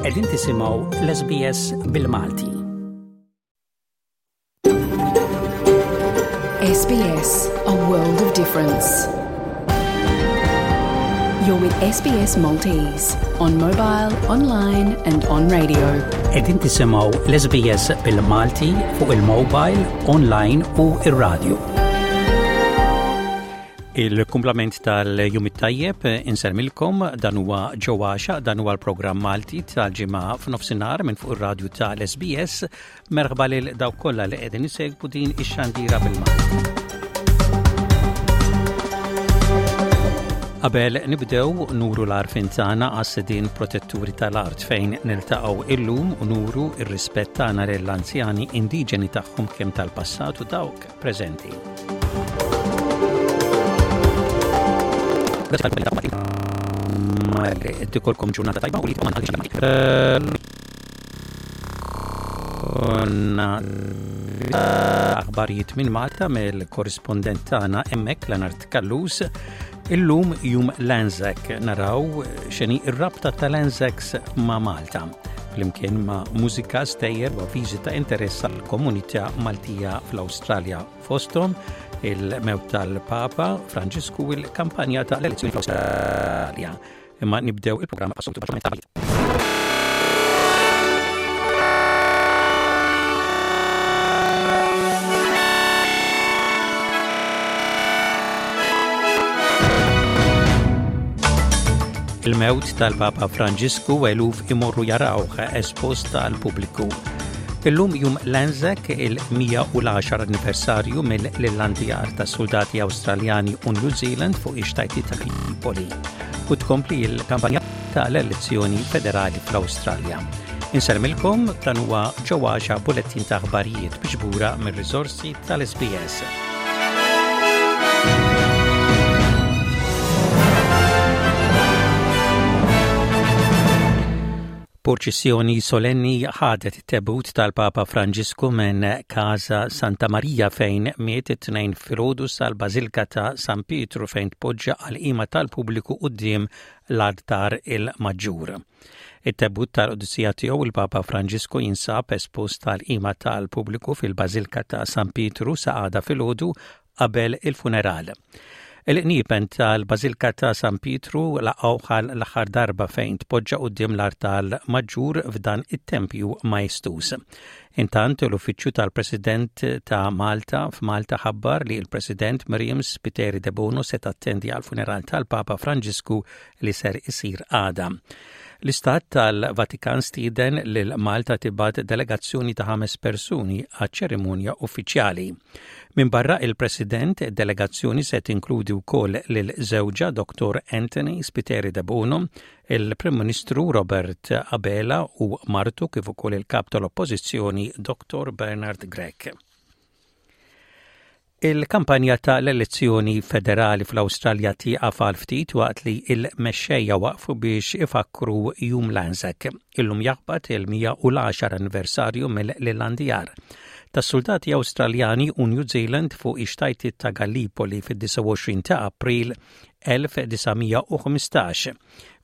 Qegħdin tisimgħu l-SBS bil-Malti. SBS, a world of difference. You're with SBS Maltese on mobile, online and on radio. Qegħdin tisimgħu l-SBS bil-Malti fuq il-mobile, online u ir-radio. Il-kumplament tal-jum it-tajjeb insellmilkom dan huwa ġewwa dan huwa l-programm Malti tal-ġimgħa f'nofsinhar minn fuq ir-radju tal-SBS. Merħba lil dawk kollha li qegħdin isegwu din ix-xandira bil-Malti. Qabel nibdew nuru l-arfin tagħna għas-sidien protetturi tal-art fejn niltaqgħu illum u nuru r-rispett tagħna lill-anzjani indiġeni tagħhom kemm tal-passat u dawk preżenti. Tikolkom ġurnata tajba u li Konna aħbarijiet minn Malta mill-korrispondent tagħna hemmhekk Leonard Kallus. Illum jum l-Anzac naraw x'inhi r-rabta tal-Anzacs ma' Malta flimkien ma' mużika stejjer u avviżi ta' interess għall-komunità Maltija fl-Awstralja fosthom il-mewt tal-Papa Franġisku u l-kampanja ta' l-elezzjoni fl-Awstralja. Imma nibdew il-programm passoltu Il-mewt tal-Papa Franġisku eluf imorru jarawh espost għall-pubbliku. Illum jum l-Anzac il-110 anniversarju mill-landjar ta' soldati Awstraljani u New Zealand fuq ix-xtajti ta' Tripoli u tkompli l-kampanja tal-elezzjoni federali fl-Awstralja. Insellmilkom dan huwa ġewwaxa bulettin ta' aħbarijiet miġbura mir-riżorsi tal-SBS. Purċissjoni solenni ħadet it-tebut tal-Papa Franġisku minn Casa Santa Maria fejn miet it-Tnejn filgħodu sal-Bażilka ta' San Pietru fejn tpoġġa għall-qima tal-pubbliku quddiem l-altar il-Maġġur. It-tebut tal-Qdusija Tiegħu il-Papa Franġisku jinsab espost għall-qima tal-pubbliku fil-Bażilka ta' San Pietru sa għada filgħodu qabel il-funeral. Il-qniepen tal-Bażilka ta' San Pietru laqgħuh għal l-aħħar darba fejn tpoġġa quddiem l-artal maġġur f'dan it-tempju maestuż. Intant, l-Uffiċċju tal-President ta' Malta f'Malta ħabbar li l-President Miriam Spiteri Debono se tattendi għall-funeral tal-Papa Franġisku li ser isir għada. L-Istat tal-Vatikan stieden lil Malta tibgħat delegazzjoni ta' ħames persuni għaċ-ċerimonja uffiċjali. Minbarra il-President, id-delegazzjoni se tinkludi wkoll lil żewġha Dottor Anthony Spiteri Debono, il-Prim Ministru Robert Abela u martu kif ukoll il-Kap tal-Oppożizzjoni Dottor Bernard Grech. Il-kampanja ta' l-elezzjoni federali fl-Awstralja tieqaf għal ftit waqt li l-mexxejja waqfu biex ifakkru Jum l-Anzac. Illum jaħbat il-110 anniversarju mill-Landjar tas-suldati Awstraljani u New Zealand fuq ix-xtajtiet ta' Gallipoli fid-29 ta' April 1915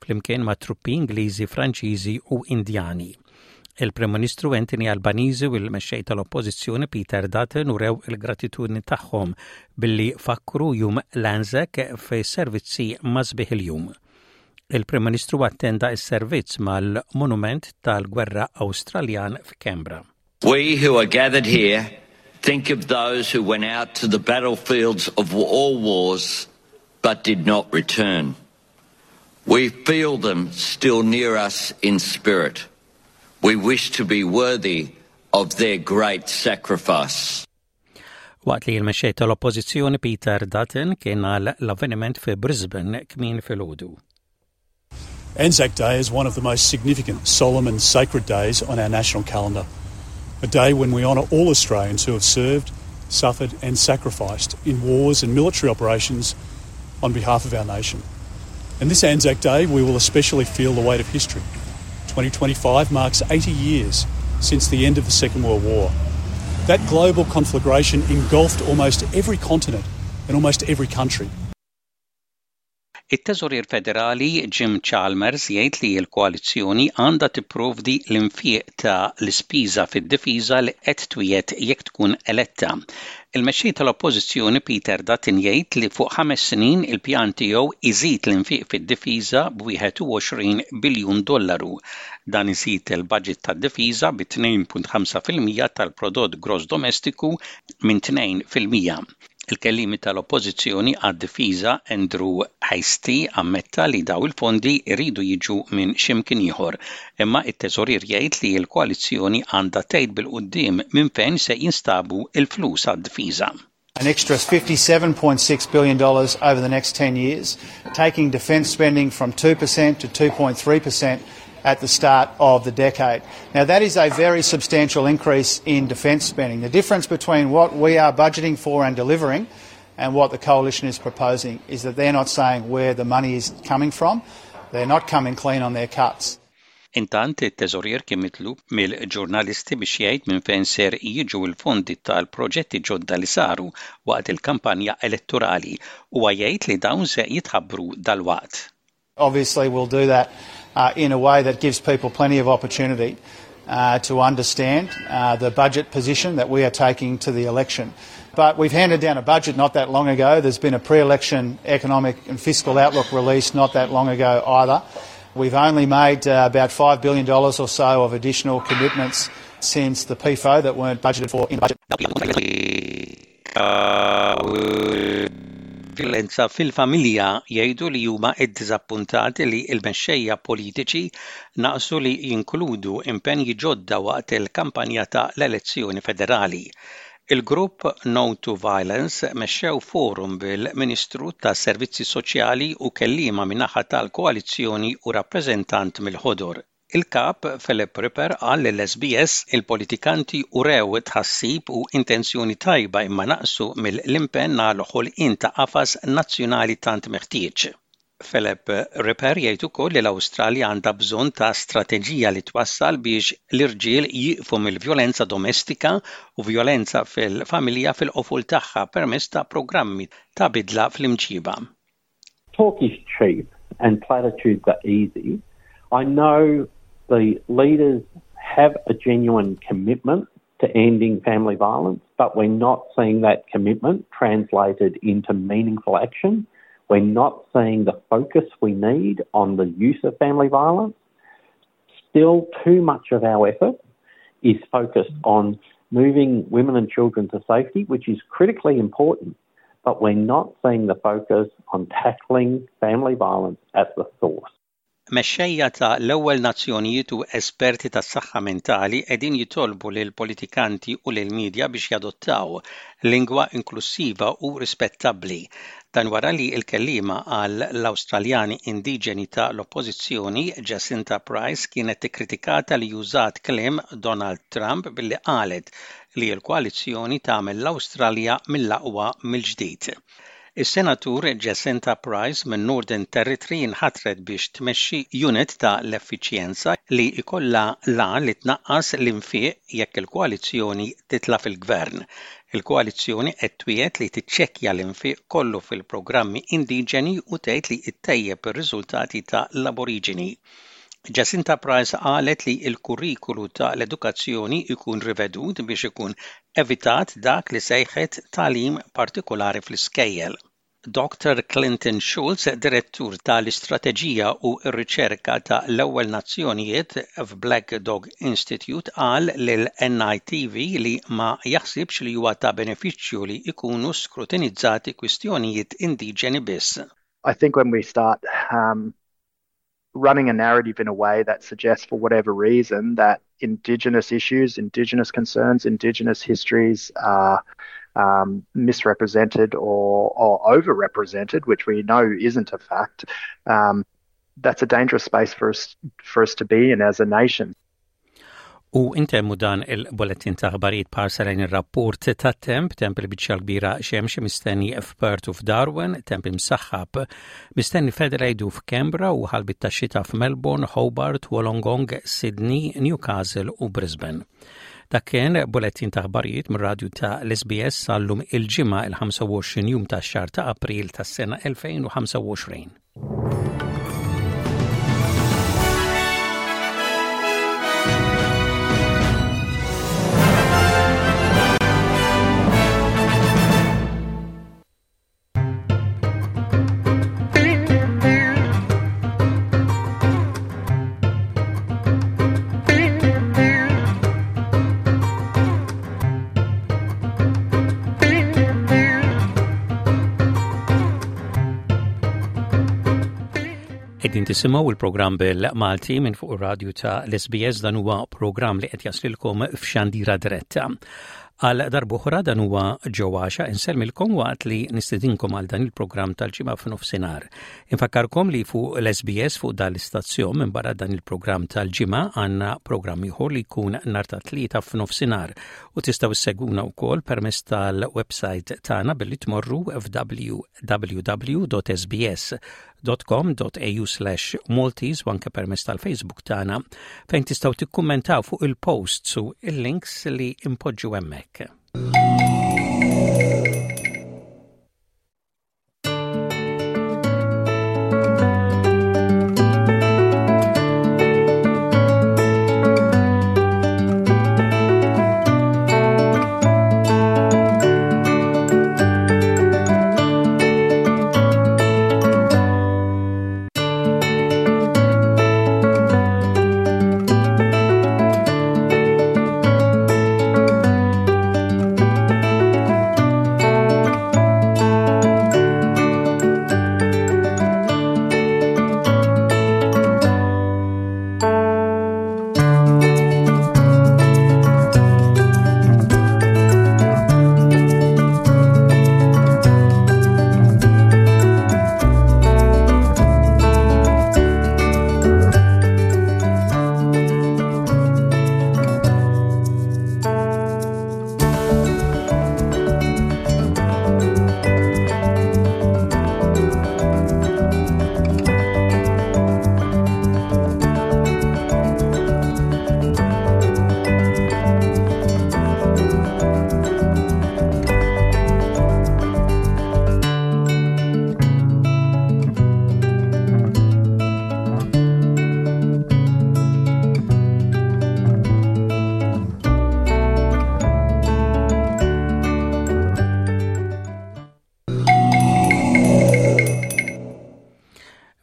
flimkien ma' truppi Ingliżi, Franċiżi u Indjani. Il-Prim Ministru Anthony Albanese u l-Mexxej tal-Oppożizzjoni Peter Dutton urew il-gratitudni tagħhom billi fakkru Jum l-Anzac fis-servizzi ma' sbieħ il-jum. Il-Prim Ministru attenda s-servizz mal-Monument tal-Gwerra Awstraljan f'Canberra. We who are gathered here think of those who went out to the battlefields of all wars but did not return. We feel them still near us in spirit. We wish to be worthy of their great sacrifice. Waqt li l-mexxej tal-Oppożizzjoni Peter Dutton kien għal l-avveniment fi Brisbane kmin filgħodu. Anzac Day is one of the most significant, solemn and sacred days on our national calendar. A day when we honour all Australians who have served, suffered and sacrificed in wars and military operations on behalf of our nation. And this Anzac Day, we will especially feel the weight of history. 2025 marks 80 years since the end of the Second World War. That global conflagration engulfed almost every continent and almost every country. It-Teżorier Federali Jim Chalmers jgħid li l-koalizzjoni għandha tipprovdi l-infiq ta' l-ispiża fid-difiża li qed twiegħed jekk tkun eletta. Il-Mexxej tal-Oppożizzjoni Peter Dutton jgħid li fuq ħames snin il-pjan tiegħu jżid l-infiq fid-difiża b'21 biljun dollaru. Dan iżid il-baġit tad-difiża bi 2.5% tal-prodott gross domestiku minn 2%. Il-kelliemi tal-Oppożizzjoni għad-Difiża Andrew Hastie ammetta li daw il-fondi jridu jiġu minn x'imkien ieħor, imma t-Teżorier jgħid li l-koalizzjoni għandha tgħid bil-quddiem minn fejn se jinstabu l-flus għad-difiża. An extra $57.6 billion over the next 10 years, taking defence spending from 2% to 2.3% at the start of the decade. Now, that is a very substantial increase in defence spending. The difference between what we are budgeting for and delivering and what the coalition is proposing is that they're not saying where the money is coming from. They're not coming clean on their cuts. Intant, it-Teżorier kien mitlub mill-ġurnalisti biex jgħid minn fejn ser jiġu l-fondi tal-proġetti ġodda li saru waqt il-kampanja elettorali. Huwa jgħid li dawn se jitħabbru dalwaqt. Obviously we'll do that uh, in a way that gives people plenty of opportunity uh, to understand uh, the budget position that we are taking to the election. But we've handed down a budget not that long ago. There's been a pre-election economic and fiscal outlook released not that long ago either. We've only made uh, about $5 billion or so of additional commitments since the PFO that weren't budgeted for in the budget. Vjolenza fil-familja jgħidu li huma ddiżappuntati li l-mexxejja politiċi naqsu li jinkludu impenji ġodda waqt il-kampanja ta' l-elezzjoni federali. Il-grupp No to Violence mexxew forum bil-Ministru tas-Servizzi Soċjali u kelliema min-naħa tal-koalizzjoni u rappreżentant mill-Ħodor. Il-Kap Philip Ripper qal lill-SBS il-politikanti urew tħassib u intenzjoni tajba imma naqsu mill-impenn għal ħolqien ta' qafas nazzjonali tant meħtieġ. Philip Ripper jgħid ukoll li l-Awstralja għandha bżonn ta' strateġija li twassal biex l-irġiel jieqfu mill-vjolenza domestika u vjolenza fil-familja fil-qofol tagħha permezz ta' programmi ta' bidla fl-imġiba. Talk is cheap and platitudes are easy. I know the leaders have a genuine commitment to ending family violence, but we're not seeing that commitment translated into meaningful action. We're not seeing the focus we need on the use of family violence. Still, too much of our effort is focused on moving women and children to safety, which is critically important, but we're not seeing the focus on tackling family violence at the source. Mexxejja ta' l-Ewwel Nazzjonijiet u esperti tas-saħħa mentali qegħdin jitolbu lill-politikanti u lill-midja biex jadottaw lingwa inklussiva u rispettabbli. Dan wara li l-kelliema għal l-Awstraljani Indiġeni ta' l-Oppożizzjoni, Jacinta Price kienet ikkritikata li użat kliem Donald Trump billi qalet li l-koalizzjoni tagħmel l-Awstralja mill-aqwa mill-ġdid. Is-Senatur Jacinta Price minn Northern Territory inħatret biex tmexxi unit ta' l-effiċjenza li jkollha l-għan li tnaqqas l-infiq jekk il-koalizzjoni titla' fil-gvern. Il-koalizzjoni qed twiegħed li tiċċekkja l-infiq kollu fil-programmi indiġeni u tgħid li ttejjeb ir-riżultati ta' l-Aboriġini. Jacinta Price qalet li l-kurrikulu ta' l-edukazzjoni jkun rivedut biex ikun evitat dak li sejħet tagħlim partikolari fl-iskejjel. Dr Clinton Schultz, direttur ta' l-istrateġija u r-riċerka ta' l-Ewwel Nazzjonijiet f'Black Dog Institute qal lil NITV li ma jaħsibx li huwa ta' benefiċċju li jkunu skrutinizzati kwistjonijiet indiġeni biss. I think when we start um, running a narrative in a way that suggests, for whatever reason, that Indigenous issues, Indigenous concerns, Indigenous histories are um, misrepresented or, or overrepresented, which we know isn't a fact, um, that's a dangerous space for us, for us to be in as a nation. U intemmu dan il-bulletin ta' aħbarijiet b'ħarsa lejn ir-rapport tat-temp, temp il-biċċa l-kbira xemx mistenni f'Perth u f'Darwin, temp imsaħħab mistenni f'Adelaide u f'Canberra u ħalbit ta' xita f'Melbourne, Hobart, Wollongong, Sydney, Newcastle u Brisbane. Dak kien bulletin ta' aħbarijiet mir-radju ta' l-SBS sal-lum il-ġimgħa il-25 jum tax-xahar ta' April tas-sena 2025. Qegħdin tisimgħu il-programm bil-Malti minn fuq ir-radju ta' l-SBS dan huwa programm li qed jaslilkom f'xandira diretta. Għal darb'oħra dan huwa ġewwaxa insellmilkom waqt li nistedinkom għal dan il-programm tal-ġimgħa f'nofsinhar. Infakkarkom li fuq l-SBS fuq dan l-istazzjon minn barra dan il-programm tal-ġimgħa għandna programm ieħor li jkun nhar ta' tlieta f'nofsinhar u tistgħu ssegwuna wkoll permezz tal-website tagħna billi tmorru f'www.sbs www.com.au/maltese u anke permezz tal-Facebook tagħna fejn tistgħu tikkummentaw fuq il-posts u il-links li impoġġu hemmhekk.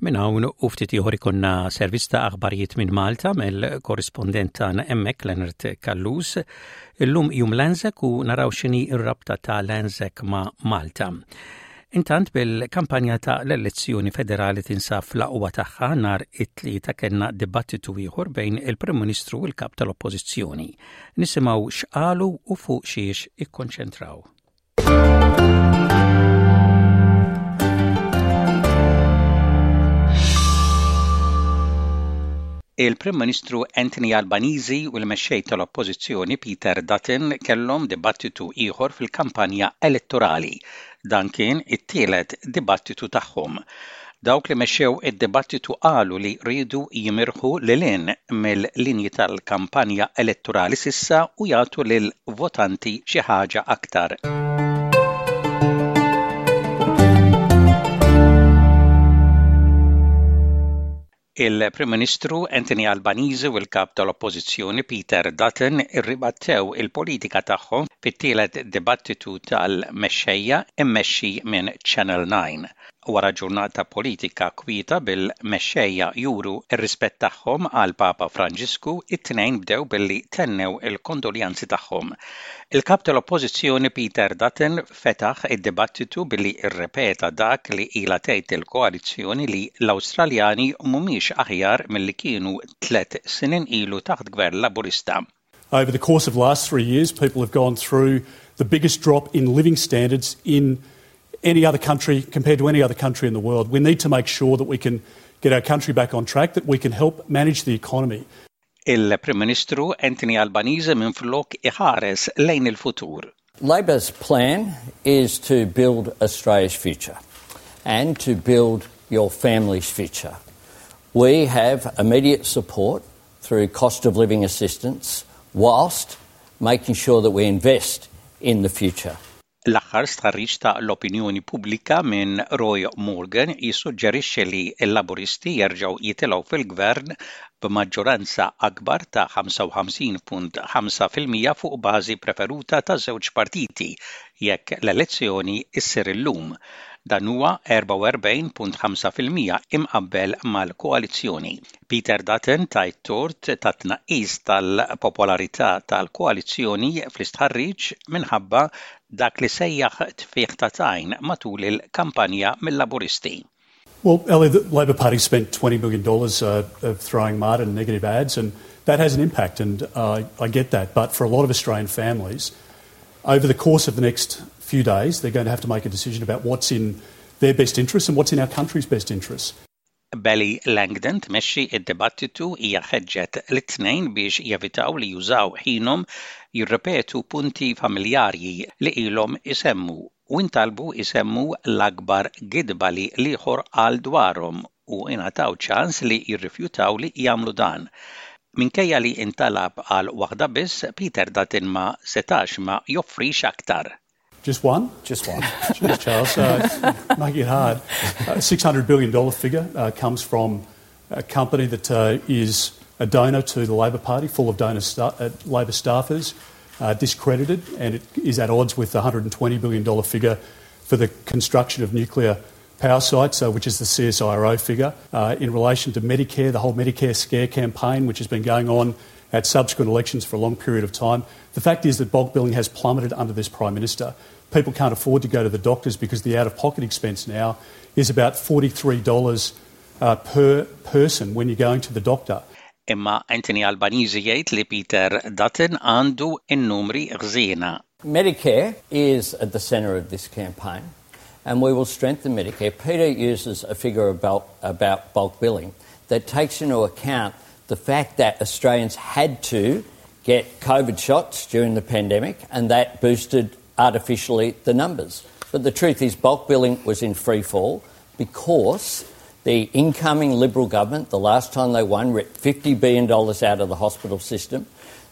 Minn hawn u ftit ieħor ikonna servizz ta' aħbarijiet minn Malta mill-korrispondent tagħna hemmhekk Leonard Callus. Illum jum l-Anzac u naraw x'inhi r-rabta ta' l-Anzac ma' Malta. Intant bil-kampanja ta' l-elezzjoni federali tinsab fl-aqwa tagħha nhar it-Tlieta kellna dibattitu ieħor bejn il-Prim Ministru u l-Kap tal-Oppożizzjoni. Nisimgħu x'qalu u fuq xiex ikkonċentraw. Il-Prim Ministru Anthony Albanese u l-Mexxej tal-Oppożizzjoni Peter Dutton kellhom dibattitu ieħor fil-kampanja elettorali. Dan kien it-tielet dibattitu tagħhom. Dawk li mexxew id-dibattitu qalu li riedu jimirħu lil hinn mill-linji tal-kampanja elettorali s'issa u jagħtu lill-votanti xi ħaġa aktar. Il-Prim Ministru Anthony Albanese u l-Kap tal-Oppożizzjoni Peter Dutton irribattew il-politika tagħhom fit-tielet dibattitu tal-mexxejja mmexxi minn Channel 9. Wara ġurnata politika kwieta bil-mexxejja juru r-rispett tagħhom għall-Papa Franġisku, it-tnejn bdew billi tennew il-kondoljanzi tagħhom. Il-Kap tal-Oppożizzjoni Peter Dutton fetaħ id-dibattitu billi rrepeta dak li ilha tgħid il-koalizzjoni li l-Awstraljani mhumiex aħjar milli kienu tlett snin ilu taħt Gvern Laburista. Over the course of last three years, people have gone through the biggest drop in living standards in any other country compared to any other country in the world. We need to make sure that we can get our country back on track, that we can help manage the economy. Il-Prim Ministru Anthony Albanese minflok iħares lejn il-futur. Labor's plan is to build Australia's future and to build your family's future. We have immediate support through cost of living assistance whilst making sure that we invest in the future. L-aħħar stħarriġ ta' l-opinjoni pubblika minn Roy Morgan jissuġġerixxi li l-Laburisti jerġgħu jitilgħu fil-Gvern b'maġġoranza akbar ta' 55.5% fuq bażi preferuta taż-żewġ partiti jekk l-elezzjoni ssir illum. Dan huwa 44.5% imqabbel mal-koalizzjoni. Peter Dutton ta t-tort tat-tnaqqis tal-popolarità tal-koalizzjoni fl-istħarriġ minħabba dak li sejjaħ tfigħ ta' tajn matul il-kampanja mil-Laburisti. Well, Ellie, the Labor Party spent $20 billion of throwing mud and negative ads, and that has an impact, and I get that. But for a lot of Australian families, over the course of the next few days, they're going to have to make a decision about what's in their best interests and what's in our country's best interests. Beli Langdon tmexxi d-dibattitu hija ħeġġet lit-tnejn biex jevitaw li jużaw ħinhom jirrepetu punti familjarji li ilhom isemmu u ntalbu jsemmu l-akbar gidba li l-ieħor qal dwarhom u ingħataw ċans li jirrifjutaw li jagħmlu dan. Minkejja li intalab għal waħda biss, Peter Dutton ma setax ma joffrix aktar. Just one? Just one. Cheers, Charles. Making it hard. $600 billion figure comes from a company that is a donor to the Labor Party, full of donor Labor staffers, discredited, and it is at odds with the $120 billion figure for the construction of nuclear power sites, which is the CSIRO figure. In relation to Medicare, the whole Medicare scare campaign, which has been going on at subsequent elections for a long period of time. The fact is that bulk billing has plummeted under this Prime Minister. People can't afford to go to the doctors because the out-of-pocket expense now is about $43 per person when you're going to the doctor. Imma Anthony Albanese jgħid li Peter Dutton għandu n-numri ħżiena. Medicare is at the centre of this campaign, and we will strengthen Medicare. Peter uses a figure about bulk billing that takes into account the fact that Australians had to get COVID shots during the pandemic, and that boosted artificially the numbers. But the truth is bulk billing was in free fall because the incoming Liberal government, the last time they won, ripped $50 billion out of the hospital system.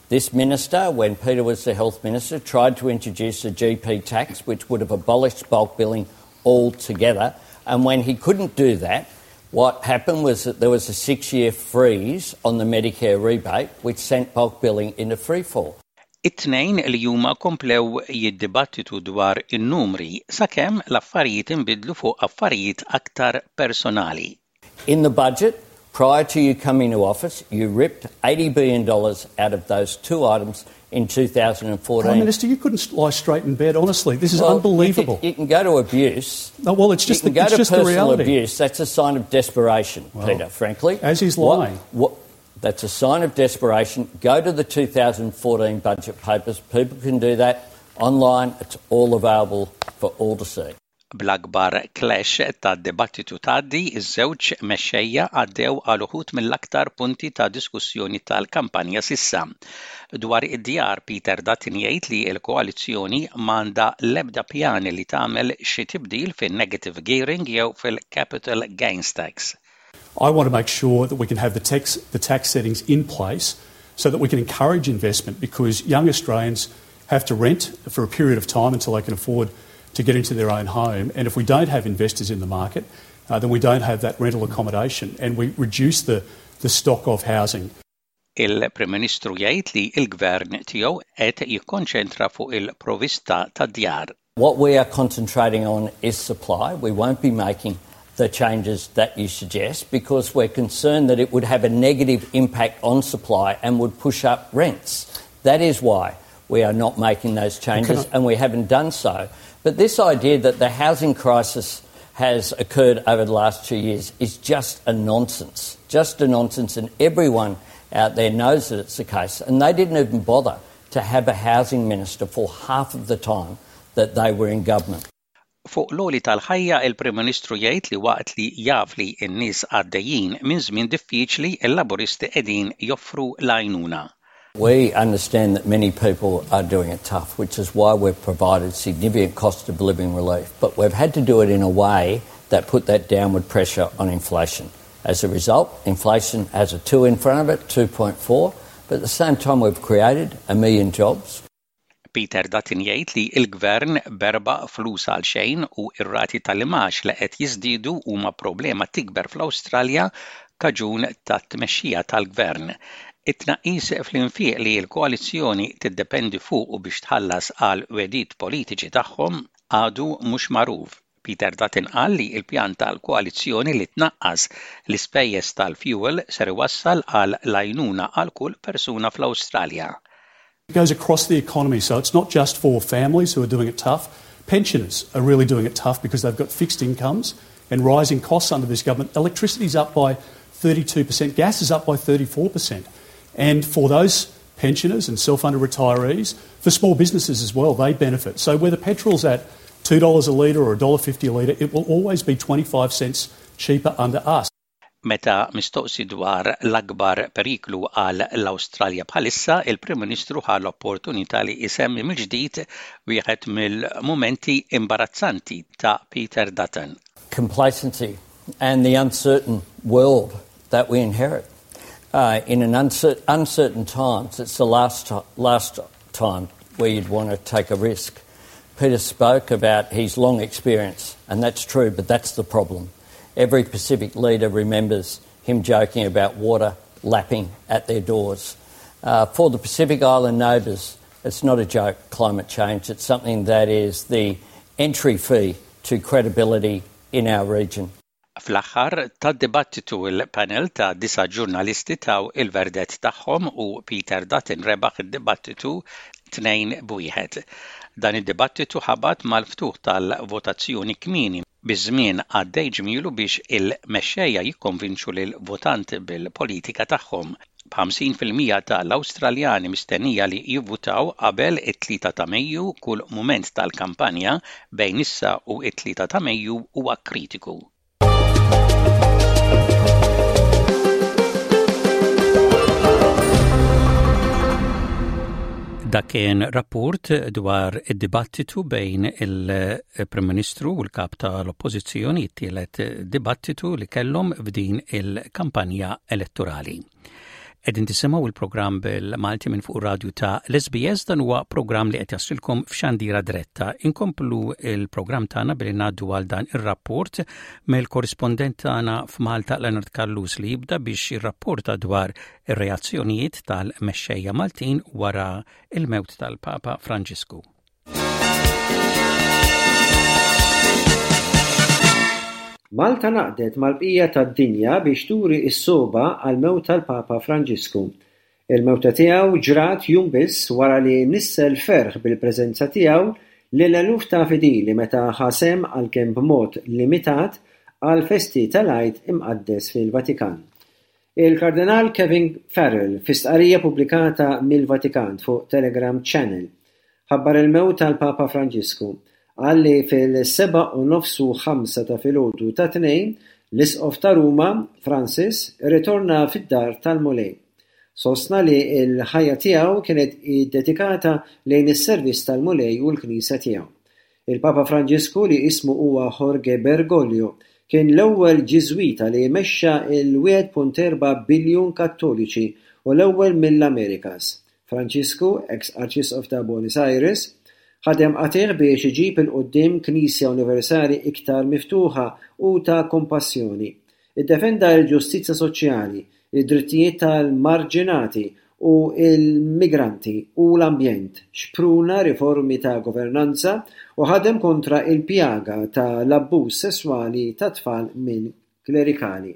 This minister, when Peter was the health minister, tried to introduce a GP tax, which would have abolished bulk billing altogether. And when he couldn't do that, what happened was that there was a 6-year freeze on the Medicare rebate, which sent bulk billing into free fall. It-tnejn li huma komplew jiddibattitu dwar in-numri sakemm l-affarijiet inbidlu fuq affarijiet aktar personali. In the budget, prior to you coming to office, you ripped $80 billion out of those two items in 2014. Prime Minister, you couldn't lie straight in bed, honestly. This is unbelievable. You can go to abuse. No, well, it's just You can go it's to just the personal reality. abuse. That's a sign of desperation, Well, Peter, frankly. As he's lying. That's a sign of desperation. Go to the 2014 budget papers. People can do that online. It's all available for all to see. Bl-akbar clash tad-dibattitu tgħaddi, iż-żewġ mexxejja għaddew għal uħud mill-aktar punti ta' diskussjoni tal-kampanja s'issa. Dwar id-djar, Peter Dutton jgħid li l-koalizzjoni m'għandha l-ebda pjan li tagħmel xi tibdil fin-negative gearing jew fil-capital gains tax. I want to make sure that we can have the tax settings in place so that we can encourage investment, because young Australians have to rent for a period of time until they can afford to get into their own home. And if we don't have investors in the market, then we don't have that rental accommodation and we reduce the stock of housing. Il-Prim Ministru jgħid li l-gvern tiegħu qed jikkonċentra fuq il-provista tad-djar. What we are concentrating on is supply. We won't be making the changes that you suggest because we're concerned that it would have a negative impact on supply and would push up rents. That is why we are not making those changes, and we haven't done so. But this idea that the housing crisis has occurred over the last 2 years is just a nonsense, just a nonsense, and everyone out there knows that it's the case. And they didn't even bother to have a housing minister for half of the time that they were in government. Fuq l-għoli tal-ħajja, il-Prim Ministru jgħid li waqt li jaf li n-nies għaddejjin minn żmien diffiċli, il-Laburisti qegħdin joffru l-għajnuna. We understand that many people are doing it tough, which is why we've provided significant cost of living relief. But we've had to do it in a way that put that downward pressure on inflation. As a result, inflation has a 2 in front of it, 2.4, but at the same time we've created a million jobs. Peter Dutton jgħid li l-gvern berba flus għal xejn u ir-rati tal-imgħax li qed jiżdiedu huma problema tikber fl-Awstralja kaġun tat-tmexxija tal-gvern. It-tnaqqis fl-infiq li l-koalizzjoni tiddependi fuq u biex tħallas għal wedit politiċi tagħhom għadu mhux magħruf. Peter Dutton qal li l-pjan tal-koalizzjoni li tnaqqas l-ispejjeż tal-fuel ser iwassal għal l-għajnuna għal kull persuna fl-Awstralja. It goes across the economy, so it's not just for families who are doing it tough. Pensioners are really doing it tough because they've got fixed incomes and rising costs under this government. Electricity is up by 32%, gas is up by 34%. And for those pensioners and self-funded retirees, for small businesses as well, they benefit. So whether petrol's at $2 a litre or $1.50 a litre, it will always be 25 cents cheaper under us. Meta mistoqsi dwar l-akbar periklu għal l-Awstralja bħalissa, il-Prim Ministru ħa l-opportunità li jsemmi mill-ġdid wieħed mill-mumenti imbarazzanti ta' Peter Dutton. Complacency and the uncertain world that we inherit. Uh, in an uncer uncertain times, it's the last, last time where you'd want to take a risk. Peter spoke about his long experience, and that's true, but that's the problem. Every Pacific leader remembers him joking about water lapping at their doors. Uh, for the Pacific Island neighbours, it's not a joke, climate change. It's something that is the entry fee to credibility in our region. Fl-aħħar tad-dibattitu l-panel ta' disa' ġurnalisti taw il-verdett tagħhom u Peter Dutton rebaħ id-dibattitu 2-1. Dan id-dibattitu ħabat mal-ftuħ tal-votazzjoni kmieni biż-żmien għaddej ġmielu biex il-mexxejja jikkonvinċu lill-votanti bil-politika tagħhom. B'50% ta' l-Awstraljani mistennija li jivvutaw qabel it-3 ta' Mejju, kull mument tal-kampanja bejn issa u t-3 ta' Mejju huwa kritiku. Dak kien rapport dwar id-dibattitu bejn il-Prim Ministru u l-Kap tal-Oppożizzjoni, it-tielet dibattitu li kellhom f'din il-kampanja elettorali. Qegħdin tisimgħu il-programm bil-Malti minn fuq radju ta' l-SBS dan huwa programm li qed jasilkom f'xandira diretta. Inkomplu il-programm tagħna billi ngħaddu għal dan ir-rapport mill-korrispondent tagħna f'Malta Leonard Callus li jibda biex jirrapporta dwar ir-reazzjonijiet tal-mexxejja Maltin wara il-mewt tal-Papa Franġisku. Malta ngħaqdet mal-bqija tad-dinja biex turi s-sogħba għall-mewt tal-Papa Franġisku. Il-mewta tiegħu ġrat jum biss wara li nissel ferħ bil-preżenza tiegħu lil eluf ta' fidili meta ħa sehem għalkemm b'mod limitat għall-festi tal-Għid Imqaddes fil-Vatikan. Il-Kardinal Kevin Farrell, fi stqarrija pubblikata mill-Vatikan fuq Telegram Channel, ħabbar il-mewt tal-Papa Franġisku. Qal li fil-sebgħa u nofs u ħamsa ta' filgħodu tat-Tnejn, l-Isqof ta' Ruma, Francis, irritorna fid-dar tal-Mulej. Sostna li l-ħajja tiegħu kienet iddedikata lejn is-servizz tal-Mulej u l-Knisja tiegħu. Il-Papa Franġisku, li ismu huwa Jorge Bergoglio, kien l-ewwel Ġiżwita li mexxa l-1.4 biljun Kattoliċi u l-ewwel mill-Amerikas. Franġisku, eks Arċisqof ta' Buenos Aires, ħadem qatigħ biex iġib 'il quddiem Knisja universali iktar miftuħa u ta' kompassjoni. Iddefenda l-ġustizzja soċjali, id-drittijiet tal-marġinati u l-migranti u l-ambjent, xpruna riformi ta' governanza u ħadem kontra l-pjaga ta' l-abbuż sesswali tat-tfal minn klerikali.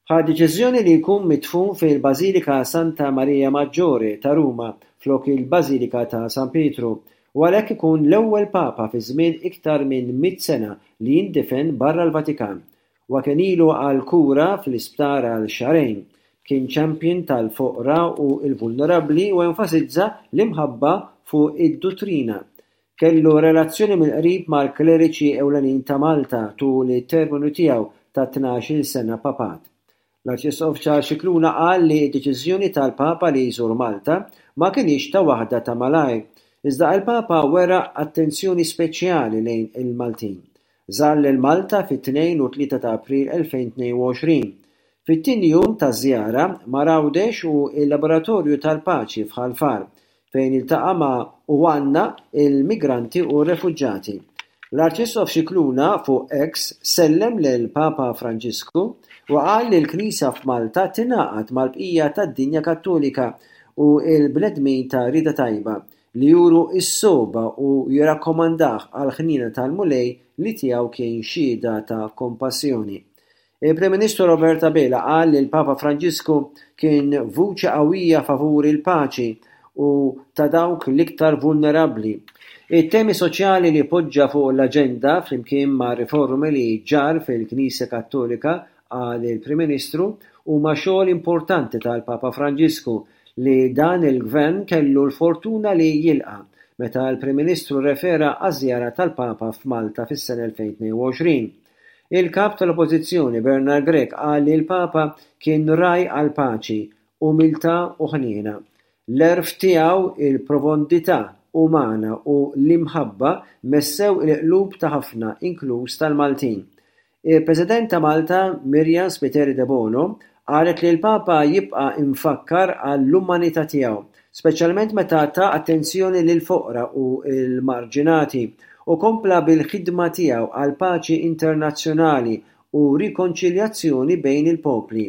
Ħa deċiżjoni li jkun midfun fil-Bażilika Santa Maria Maggiore ta' Ruma flok il-Bażilika ta' San Pietru u għalhekk ikun l-ewwel Papa fi żmien iktar minn mitt sena li jindifen barra l-Vatikan. Huwa kien ilu għall-kura fl-isptar għal xahrejn. Kien champion tal-foqra u l-vulnerabbli u enfasizza l-imħabba fuq id-duttrina. Kellu relazzjoni mill-qrib mal-kleriċi ewlenin ta' Malta tul it-terminu tiegħu ta' 12-il sena papat. L-Arċisqof Charles Scicluna qal li d-deċiżjoni tal-Papa li jżur Malta ma kinitx ta' waħda ta' malajr, iżda il-Papa wera attenzjoni speċjali lejn il-Maltin. Żar lil Malta fit-2 u 3 ta' April 2022. Fit-tieni jum taż-żjara mar Għawdex u l-Laboratorju tal-Paċi f'Ħal Far, fejn iltaqa' ma' u għannaq il-migranti u r-refuġjati. L-Arċisqof Scicluna fuq X sellem lill-Papa Franġisku u qal li l-Knisja f'Malta tingħaqad mal-bqija tad-dinja Kattolika u l-bnedmin ta' rieda tajba li juru s-sogħba u jirrakkomandah għall-ħniena tal-Mulej li tiegħu kien xhieda ta' kompassjoni. Il-Prim Ministru Robert Abela qal li l-Papa Franġisku kien vuċi qawwija favur il-paċi u ta' dawk l-iktar vulnerabbli. It-temi soċjali li poġġa fuq l-aġenda flimkien ma' riformi li ġarr fil-Knisja Kattolika, qal il-Prim Ministru, huma xogħol importanti tal-Papa Franġisku li dan il-Gvern kellu l-fortuna li jilqa' meta l-Prim Ministru rrefera għaż-żjara tal-Papa f'Malta fis-sena 2022. Il-Kap tal-Oppożizzjoni Bernard Grech qal li l-Papa kien ragħaj għall-paċi, umiltà u ħniena. L-għerf tiegħu, il-profondità umana u l-imħabba messew il-qlub ta' ħafna inkluż tal-Maltin. Il-President ta' Malta, Myriam Spiteri Debono, qalet li l-Papa jibqa' imfakkar għall-umanità tiegħu, speċjalment meta ta attenzjoni lill-foqra u l-marġinati, u kompla bil-ħidma tiegħu għall-paċi internazzjonali u rikonċiljazzjoni bejn il-popli.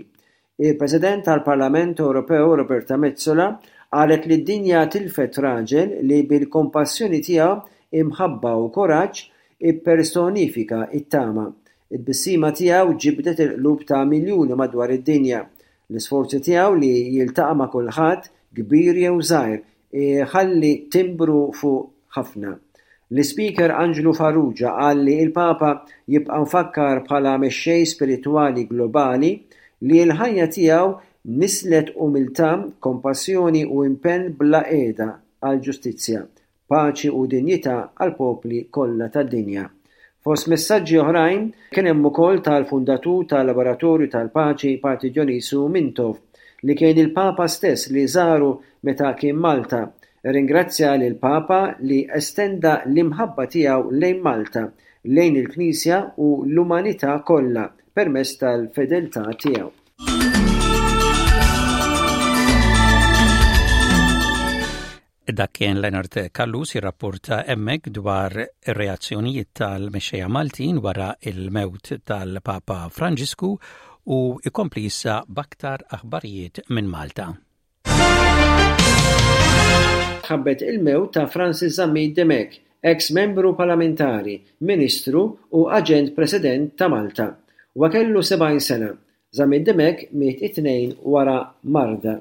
Il-President tal-Parlament Ewropew Roberta Metsola qalet li d-dinja tilfet raġel li bil-kompassjoni tiegħu, imħabba u kuraġġ ippersonifika t-tama. It-tbissima tiegħu ġibdet il-qlub ta' miljuni madwar id-dinja. L-isforzi tiegħu li jiltaqa' ma' kulħadd, kbir jew żgħir, iħalli timbru fuq ħafna. L-Ispeaker Anġlu Farrugia qal li l-Papa jibqa' mfakkar bħala mexxej spiritwali globali li l-ħajja tiegħu nisslet umiltà, kompassjoni u impenn bla qiegħda għall-ġustizzja, paċi u dinjità għall-popli kollha tad-dinja. Fost messaġġi oħrajn, kien hemm ukoll tal-fundatur tal-Laboratorju tal-Paċi Patri Dionisu Mintoff, li kien il-Papa stess li żaru meta kien Malta, irringrazzja lill-Papa li estenda l-imħabba tiegħu lejn Malta, lejn il-Knisja u l-umanità kollha permezz tal-fedeltà tiegħu. Dak kien Leonard Callus jirrapporta hemmhekk dwar ir-reazzjonijiet tal-mexxejja Maltin wara il-mewt tal-Papa Franġisku u ikompli issa b'aktar aħbarijiet minn Malta. Tħabbret il-mewt ta' Francis Zammit Dimech, eks Membru Parlamentari, Ministru u Aġent President ta' Malta. Huwa kellu 70 sena. Zammit Dimech miet it-Tnejn wara marda.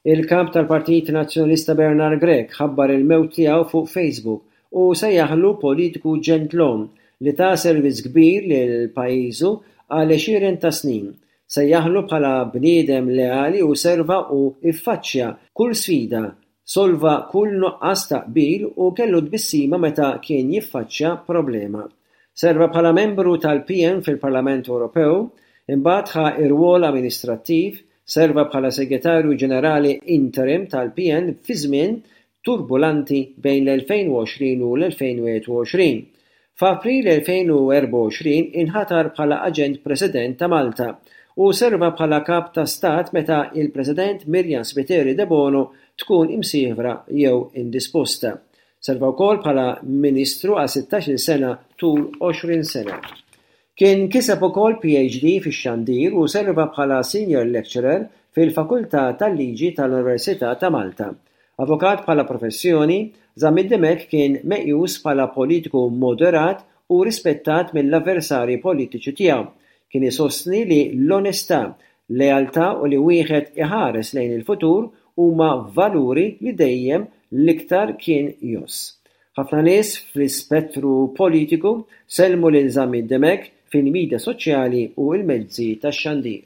Il-Kap tal-Partit Nazzjonalista Bernard Grech ħabbar il-mewt tiegħu fuq Facebook u sejjaħlu politiku ġentlom li ta servizz kbir lil pajjiżu għal għexieren ta' snin. Sejjaħlu bħala bniedem leali u serva u ffaċċja kull sfida, solva kull nuqqas ta' qbil u kellu tbissima meta kien jiffaċċja problema. Serva bħala membru tal-PN fil-Parlament Ewropew, imbagħad ħa r-rwol amministrattiv, serva bħala Segretarju Ġenerali Interim tal-PN fi żmien turbulanti bejn l-2020 u l-2021. F'April 2024 inħatar bħala Aġent President ta' Malta u serva bħala Kap ta' Stat meta il-President Myriam Spiteri Debono tkun imsiefra jew indisposta. Serva wkoll bħala Ministru għal sittax-il sena tul 20 sena. Kien kiseb ukoll PhD fix-xandir u serva bħala Senior Lecturer fil-Fakultà tal-Liġi tal-Università ta' Malta. Avukat bħala professjoni, Zammit Dimech kien meqjus bħala politiku moderat u rispettat mill-avversarji politiċi tiegħu. Kien isostni li l-onestà, lealtà u li wieħed iħares lejn il-futur huma valuri li dejjem l-iktar kien jgħożż. Ħafna nies fl-ispettru politiku sellmu lil Zammit Dimech fil-midja soċjali u l-mezzi tax-xandir.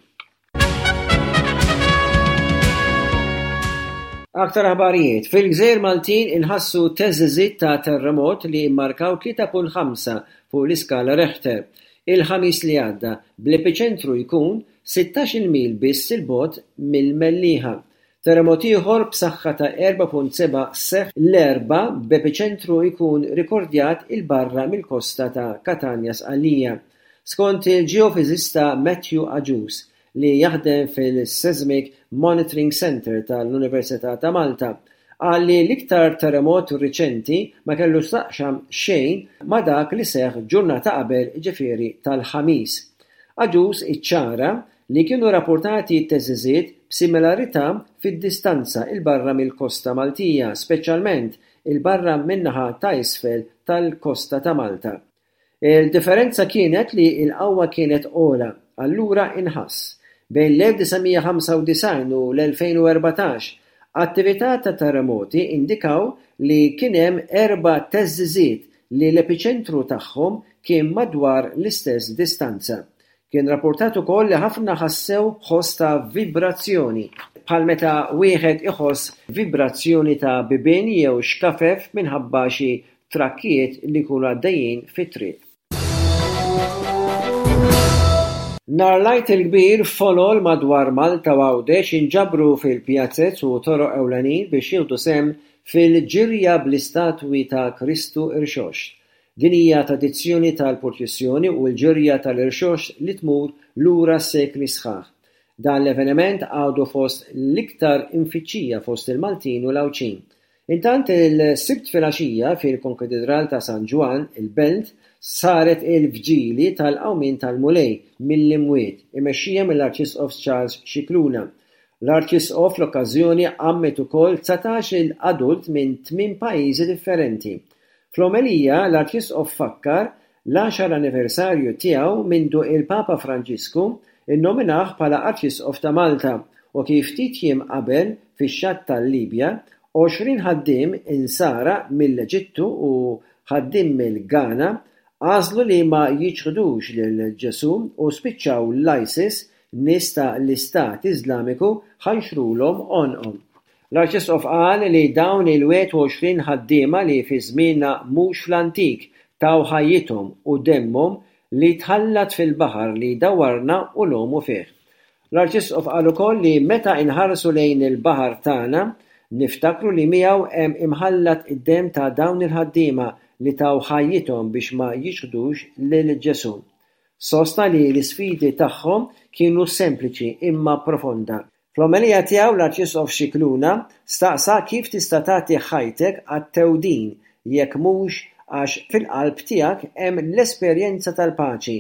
Aktar aħbarijiet, Fil-gżejjer Maltin inħassu theżżiżiet ta' terremot li mmarkaw 3.5 fuq l-iskala Rechter il-Ħamis li għadda, bl-epiċentru jkun sittax-il mil biss 'il bogħod mill-Mellieħa. Terremot ieħor b'saħħa ta' 4.7 seħħ l-Erbgħa b'epiċentru jkun rikordjat 'il barra mill-kosta ta' Katanja Sqallija. Skont il-ġeofiżista Matthew Agius, li jaħdem fil-Seismic Monitoring Centre tal-Università ta' Malta, qal li l-iktar terremot riċenti ma kellu x'taqsam xejn ma' dak li seħħ ġurnata qabel jiġifieri tal-Ħamis. Agius iċċara li kienu rapportati theżżiżiet b'similarità fid-distanza 'il barra mill-kosta Maltija, speċjalment 'il barra min-naħa ta' isfel tal-kosta ta' Malta. Il-differenza kienet li l-qawwa kienet ogħla, allura inħass. Bejn l-1995 u l-2014, Attività ta' terremoti indikaw li kien hemm erba' theżżiżiet li l-epiċentru tagħhom kien madwar l-istess distanza. Kien rappurtat ukoll li ħafna ħassew ħoss ta' vibrazzjoni, bħal meta wieħed iħoss vibrazzjoni ta' bibien jew xkafef minħabba xi trakkijiet li jkunu għaddejjin fit-triq. Nhar l-Għid il-Kbir folol madwar Malta u Għawdex inġabru fil-pjazez u toroq ewlenin biex jieħdu sehem fil-ġirja bl-istatwi ta' Kristu Irxoxt. Din hija tradizzjoni tal-purċissjoni u l-ġirja tal-Irxoxt li tmur lura sekli sħaħ. Dan l-eveniment għadu fost l-iktar imfittxija fost il-Maltin u l-Għawdxin. Intant il-Sibt filgħaxija fil-Konkatidral ta' San Ġwann, il-Belt, saret il-Vġili tal-Qawmien tal-Mulej mill-Imwiet, imexxija mill-Arċisqof Charles Scicluna. L-Arċisqof fl-okkażjoni għammed ukoll 19-il adult minn tmien pajjiżi differenti. Fl-omelija, l-Arċisqof fakkar l-għaxar anniversarju tiegħu mindu il-Papa Franġisku nnominah bħala Arċisqof ta' Malta u kif ftit jiem qabel fix-xatt tal-Libja, 20 ħaddiem Insara mill-Eġittu u ħaddiem mill-Ghana għażlu li ma jiċħdux lil Ġesù u spiċċaw l-ISIS, nies ta' l-Istat Iżlamiku ħanxrulhom għonqhom. L-Arċisqof qal li dawn il-21 ħaddiema li fi żmienna mhux fl-antik taw ħajjithom u demmhom li tħallat fil-baħar li dawwarna u ngħumu fih. L-Arċisqof qal ukoll li meta inħarsu lejn il-baħar tagħna, niftakru li miegħu hemm imħallat id-demm ta' dawn il-ħaddiema li taw ħajjithom biex ma jiċħdux lil Ġesù. Sostna li l-isfidi tagħhom kienu sempliċi imma profonda. Fl-omelija tiegħu l-Arċisqof Scicluna staqsa kif tista' tagħti ħajtek għat-thewdin jekk mhux għax fil-qalb tiegħek hemm l-esperjenza tal-paċi,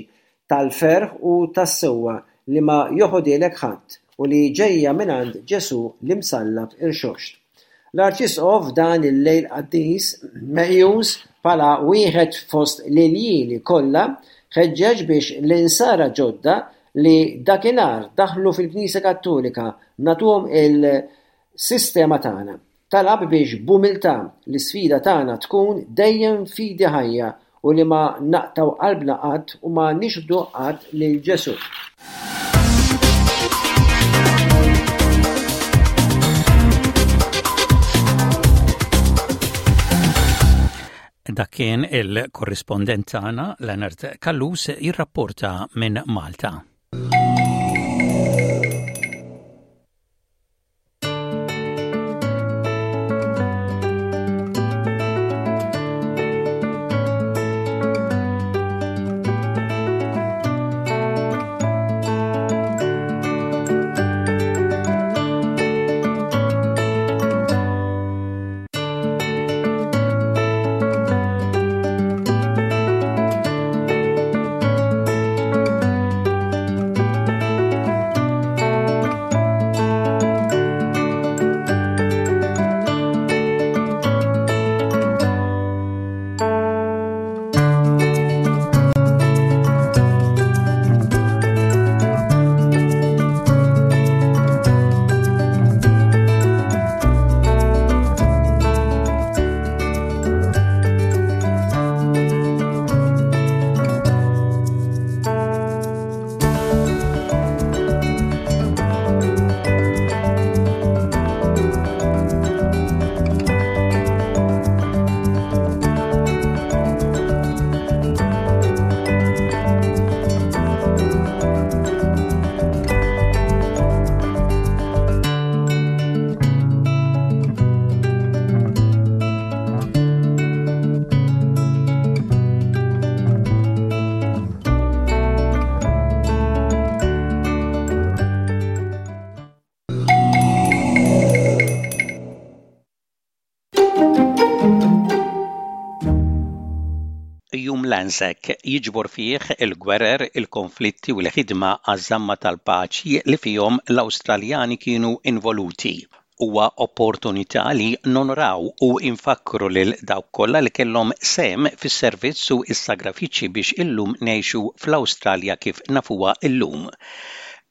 tal-ferħ u tas-sewwa li ma joħodhielek ħadd u li ġejja mingħand Ġesù l-imsallab irxoxt. L-Arċisqof f'dan il-lejl qaddis, meqjus bħala wieħed fost l-iljieli kollha, ħeġġeġ biex l-Insara ġodda li dakinhar daħlu fil-Knisja Kattolika nagħtuhom il-sistema tagħna. Talab biex b'umiltà l-isfida tagħna tkun dejjem fidi ħajja u li ma naqtgħu qalbna qatt u ma nixħdu qatt lil Ġesù. Dak kien il-korrispondent tagħna Leonard Callus jirrapporta minn Malta. Jum l-Anzac jiġbor fih il-gwerer, il-konflitti u l-ħidma għaż-żamma tal-paċi li fihom l-Awstraljani kienu involuti. Huwa opportunità li nonoraw u nfakkru lil dawk kollha li kellhom sehem fis-servizz u s-sagrafiċċji biex illum ngħixu fl-Awstralja kif nafuha llum.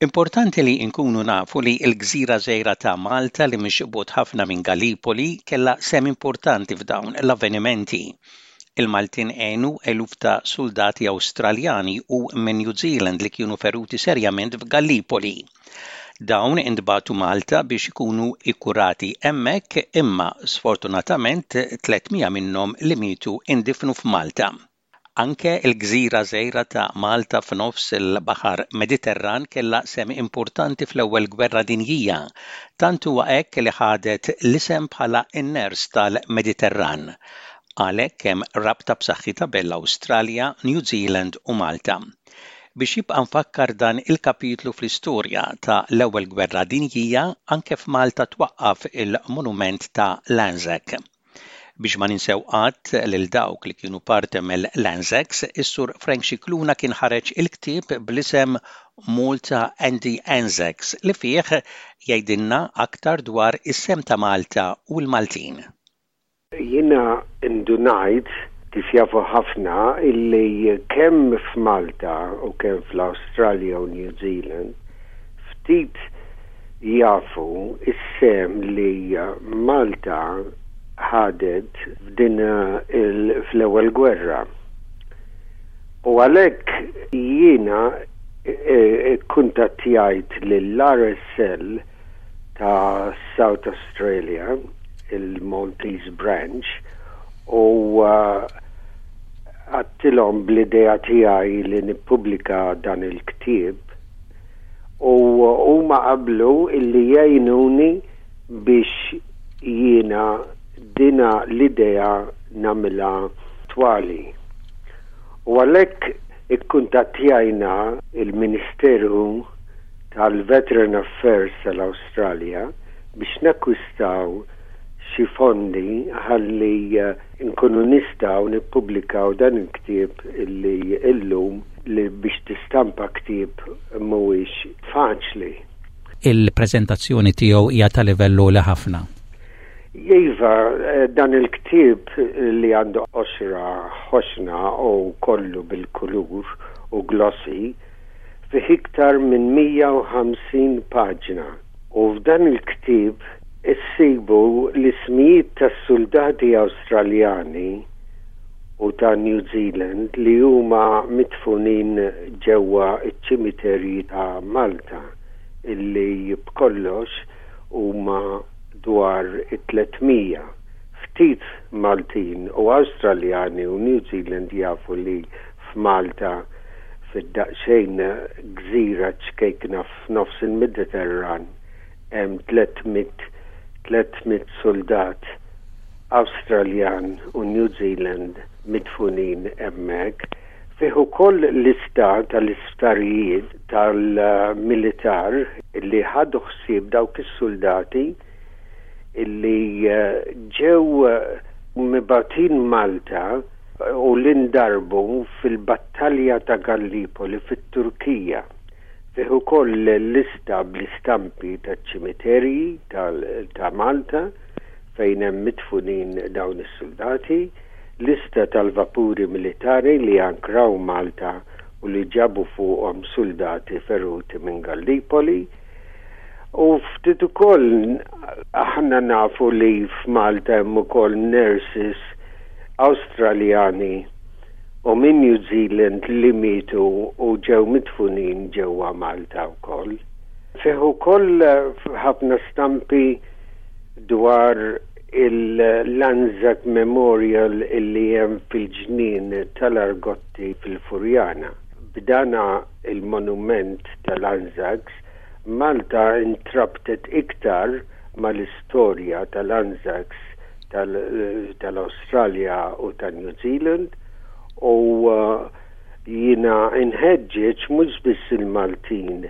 Importanti li nkunu nafu li l-gżira żgħira ta' Malta li mhix bogħod ħafna minn Gallipoli kellha sehem importanti f'dawn l-avvenimenti. Il-Maltin għenu eluf ta' suldati Awstraljani u minn New Zealand li kienu feruti serjament f'Gallipoli. Dawn intbagħtu Malta biex ikunu ikkurati hemmhekk imma sfortunatament 300 minnhom li mietu indifnu f'Malta. Anke l-gżira żgħira ta' Malta f'nofs il-Baħar Mediterran kellha sehem importanti fl-Ewwel Gwerra Dinjija. Tant huwa hekk li ħadet l-isem bħala n-ners tal-Mediterran. Għalhekk hemm rabta b'saħħitha bejn l-Awstralja, New Zealand u Malta. Biex jibqa' mfakkar dan il-kapitlu fl-istorja ta' l-Ewwel Gwerra Dinjija, anke f'Malta twaqqaf il-monument ta' l-Anzac. Biex ma ninsew qatt lil dawk li kienu parti mill-Anzacs, is-Sur Frank Scicluna kien ħareġ il-ktieb bl-isem Malta and the Anzacs li fih jgħidilna aktar dwar is-sehem ta' Malta u l-Maltin. Jiena ndunajt, kif jafu ħafna, illi kemm f'Malta u kemm fl-Awstralja u New Zealand ftit jafu s-sehem li Malta ħadet f'din fl-ewwel gwerra. U għalhekk jiena kkuntattjajt lill-RSL ta' South Australia, il-Maltese Branch, u għadtilhom bl-idea tiegħi li nippubblika dan il-ktieb u huma qablu illi jgħinuni biex jiena dina l-idea nagħmilha attwali. U għalhekk ikkuntattjajna il-Ministeru tal-Veteran Affairs tal-Awstralja biex nakkwistaw xi fondi ħalli nkunu nistgħu nippubblikaw dan il-ktieb illi illum li biex tistampa ktieb mhuwiex faċli. Il-preżentazzjoni tiegħu hija ta' livell għoli ħafna. Iva, dan il-ktieb li għandu qoxra ħoxna u kollu bil-kulur u glossy, fih iktar minn 150 paġna u f'dan il-ktieb issibu l-ismijiet tas-suldati Awstraljani u ta' New Zealand li huma midfunin ġewwa ċ-ċimiterji ta' Malta illi b'kollox huma dwar it-300. Ftit Maltin u Awstraljani u New Zealand jafu li f'Malta fid-daqsxejn gżira ċkejkna f'nofs il-Mediterran hemm 300 300 suldat Awstraljan u New Zealand midfunin hemmhekk. Fih ukoll lista tal-isptarijiet tal-militar li ħadu ħsieb dawk is-suldati li ġew mibgħutin Malta u li ndarbu fil-battalja ta' Gallipoli fit-Turkija. Fih ukoll lista bl-istampi taċ-ċimiterji ta' Malta fejn hemm midfunin dawn is-suldati, lista tal-vapuri militari li ankraw Malta u li ġabu fuqhom suldati feruti minn Gallipoli. U ftit ukoll aħna nafu li f'Malta hemm ukoll nurses Awstraljani u minn New Zealand li mietu u ġew midfunin ġewwa Malta wkoll. Fih ukoll ħafna stampi dwar il-Lanzac Memorial illi hemm fil-ġnien tal-Argotti fil-Furjana. B'dana il-monument tal-Anzacs, Malta intrabtet iktar mal-istorja tal-Anzacs tal-Awstralja u ta' New Zealand u jiena nħeġġeġ mhux biss il-Maltin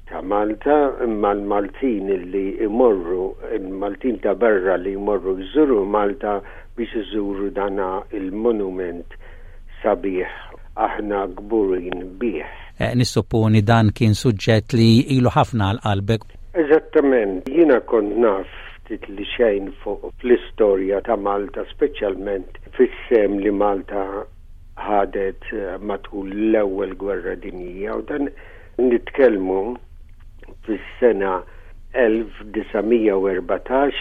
ta' Malta imma l-Maltin li jmorru, il-Maltin ta' barra li jmorru jżuru Malta biex iżuru dana il-monument sabiħ aħna kburin bih. Nissupponi dan kien suġġett li ilu ħafna għal qalbek. Eżattament, jiena kont naf ftit li xejn fuq fl-istorja ta' Malta speċjalment fis-sehem li Malta ħadet matul l-Ewwel Gwerra Dinjija u dan nitkellmu. fis-sena 1914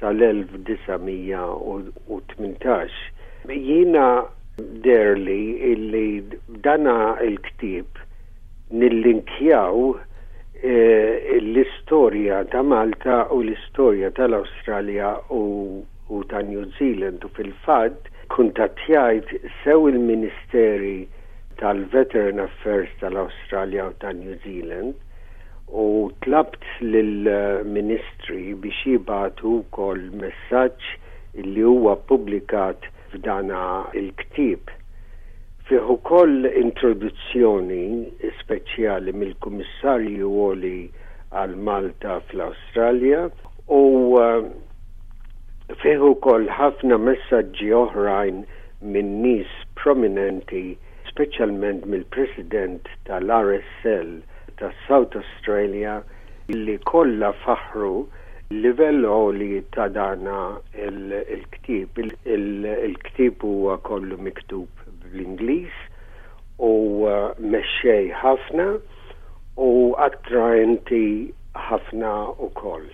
sal-1918. Jiena deherli illi b'dana l-ktieb nillinkjaw l-istorja ta' Malta u l-istorja tal-Awstralja u ta' New Zealand u fil-fatt kuntattjajt sew il-Ministeri tal-Veteran Affairs tal-Awstralja u ta' New Zealand u tlabt lill-Ministri biex jibagħtu wkoll messaġġ li huwa ppubblikat f'dana l-ktieb. Fih ukoll introduzzjoni speċjali mill-Kummissarju Għoli għal Malta fl-Awstralja u fih ukoll ħafna messaġġi oħrajn minn nies prominenti, speċjalment mill-President tal-RSL ta' South Australia li kollha faħħru l-livell għoli ta' dana l-ktieb. Il-ktieb huwa kollu miktub bl-Ingliż u mexxej ħafna u attraenti ħafna wkoll.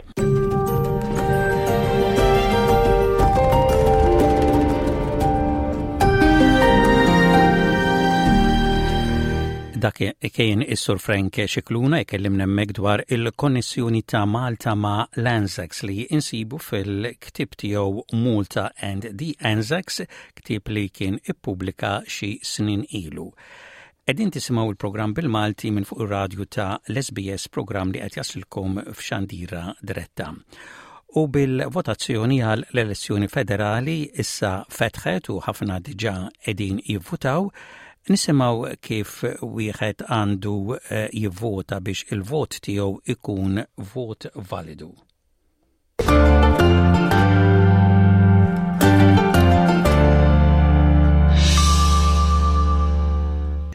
Dak kien is-Sur Frank Scicluna jkellimna hemmhekk dwar il-konnessjoni ta' Malta ma' l-Anzacs li insibu fil-ktieb tiegħu Malta and the Anzacs, ktieb li kien ippubblika xi snin ilu. Qegħdin tisimgħu l-programm bil-Malti minn fuq ir-radju ta' l-SBS programm li qed jaslilkom f'xandira diretta. U bil-votazzjoni għal l-elezzjoni federali issa fetħet u ħafna diġà qegħdin jivvutaw, nisimgħu kif wieħed għandu eh, jivvota biex il-vot tiegħu ikun vot validu.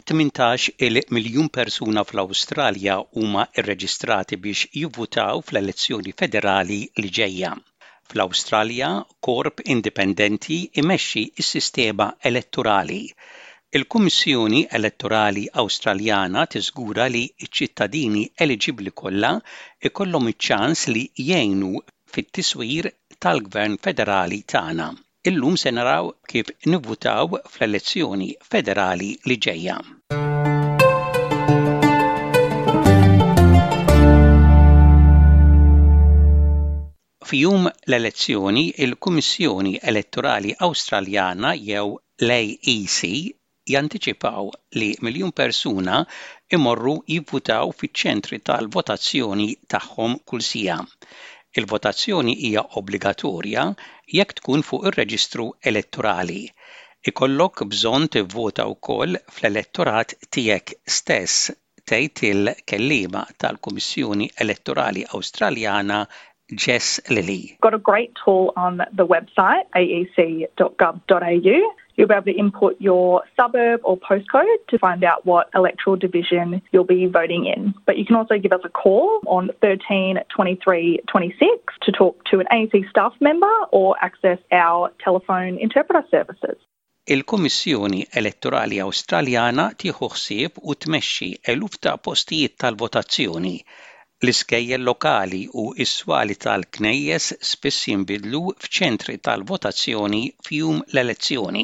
18 il-miljun persuna fl-Awstralja huma rreġistrati biex jivvutaw fl-elezzjoni federali li ġejja. Fl-Awstralja, korp indipendenti imexxi s-sistema elettorali. Il-Kummissjoni Elettorali Awstraljana tiżgura li ċ-ċittadini eliġibbli kollha jkollhom iċ-ċans li jgħinu fit-tiswir tal-Gvern Federali tagħna. Illum se naraw kif nivvutaw fl-elezzjoni federali li ġejja. F'jum l-elezzjoni, il-Kummissjoni Elettorali Awstraljana jew l-AEC jantiċipaw li miljun persuna jmorru jivvutaw fiċ-ċentri tal-votazzjoni tagħhom kull siegħa. Il-votazzjoni hija obbligatorja jekk tkun fuq ir-reġistru elettorali. Ikollok bżonn tivvota wkoll fl-elettorat tiegħek stess tgħid il-kelliema tal-Kummissjoni Elettorali Awstraljana Jess Lilley. Got a great tool on the website aec.gov.au. You'll be able to input your suburb or postcode to find out what electoral division you'll be voting in. But you can also give us a call on 13 23 26 to talk to an AEC staff member or access our telephone interpreter services. Il-Kummissjoni Elettorali Awstraljana tieħu ħsieb u tmexxi eluf ta' postijiet tal-votazzjoni. L-iskejjel lokali u s-swali tal-knejjes spiss jinbidlu f'ċentri tal-votazzjoni f'jum l-elezzjoni.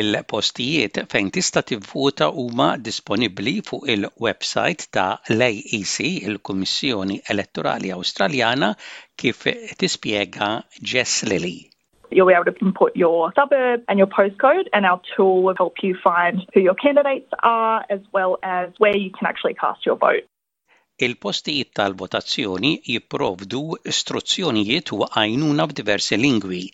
Il-postijiet fejn tista' tivvota huma disponibbli fuq il-websajt ta' l-AEC, il-Kummissjoni Elettorali Awstraljana, kif tispjega Jess Lilley. You'll be able to input your suburb and your postcode, and our tool will help you find who your candidates are as well as where you can actually cast your vote. Il-postijiet tal-votazzjoni jipprovdu istruzzjonijiet u għajnuna f'diversi lingwi.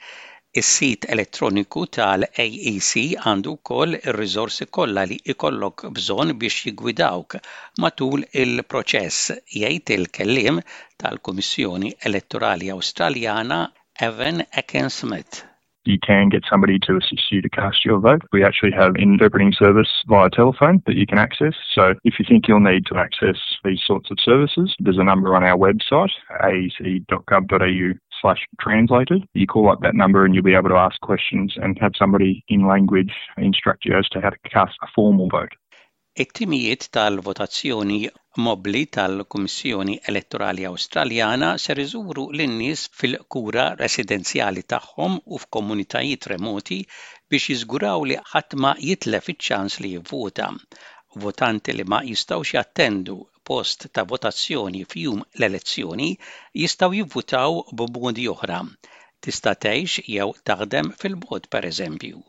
Is-sit elettroniku tal-AEC għandu wkoll ir-riżorsi kollha li jkollok bżonn biex jiggwidawk matul il-proċess, jgħid il-kelliem tal-Kummissjoni Elettorali Awstraljana Evan Ekin-Smith. You can get somebody to assist you to cast your vote. We actually have interpreting service via telephone that you can access. So if you think you'll need to access these sorts of services, there's a number on our website, aec.gov.au slash translated. You call up that number and you'll be able to ask questions and have somebody in language instruct you as to how to cast a formal vote. It-timijiet tal-votazzjoni mobbli tal-Kummissjoni Elettorali Awstraljana ser iżuru lin-nies fil-kura residenzjali tagħhom u f'komunitajiet remoti biex jiżguraw li ħadd ma jitlef iċ-ċans li jivvota. Votanti li ma jistgħux jattendu post ta' votazzjoni f'jum l-elezzjoni jistgħu jivvutaw b'modi oħra. Tista' tgħix jew taħdem fil-bogħod pereżempju.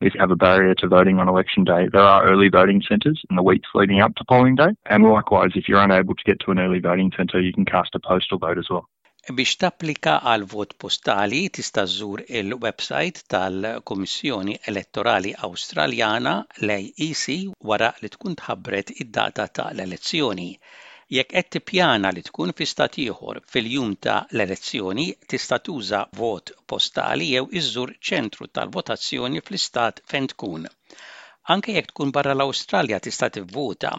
If you have a barrier to voting on election day, there are early voting centres in the weeks leading up to polling day. And likewise, if you're unable to get to an early voting centre, you can cast a postal vote as well. Biex tapplika għal vot postali tista' żżur il-websajt tal-Kummissjoni Elettorali Awstraljana, l-AEC, wara li tkun tħabbret id-data ta' l-elezzjoni. Jekk qed tippjana li tkun fi stat ieħor fil-jum ta' l-elezzjoni, tista' tuża vot postali jew iżżur ċentru tal-votazzjoni fl-istat fejn tkun. Anke jekk tkun barra l-Awstralja tista' tivvota.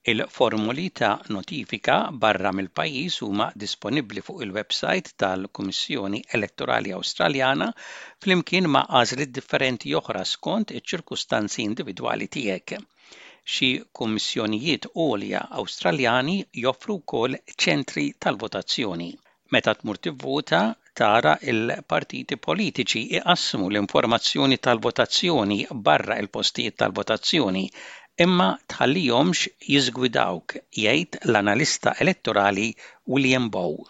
Il-formoli ta' notifika barra mill-pajjiż huma disponibbli fuq il-websajt tal-Kummissjoni Elettorali Awstraljana flimkien ma' għażliet differenti oħra skont iċ-ċirkustanzi individwali tiegħek. Xi kummissjonijiet għolja Awstraljani joffru wkoll ċentri tal-votazzjoni. Meta tmur tivvota, tara l-partiti politiċi iqassmu l-informazzjoni tal-votazzjoni barra l-postijiet tal-votazzjoni, imma tħallihomx jiżgwidawk, jgħid l-analista elettorali William Bowe.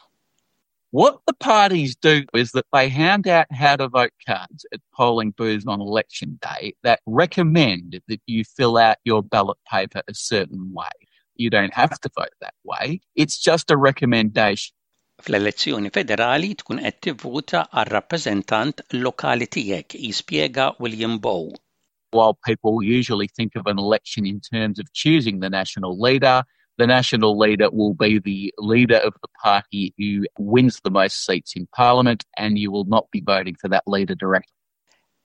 What the parties do is that they hand out how to vote cards at polling booths on election day that recommend that you fill out your ballot paper a certain way. You don't have to vote that way. It's just a recommendation. Fl-elezzjoni federali tkun qed tivvota għar-rappreżentant lokali tiegħek, jispjega William Bowe. While people usually think of an election in terms of choosing the national leader, the national leader will be the leader of the party who wins the most seats in parliament and you will not be voting for that leader directly.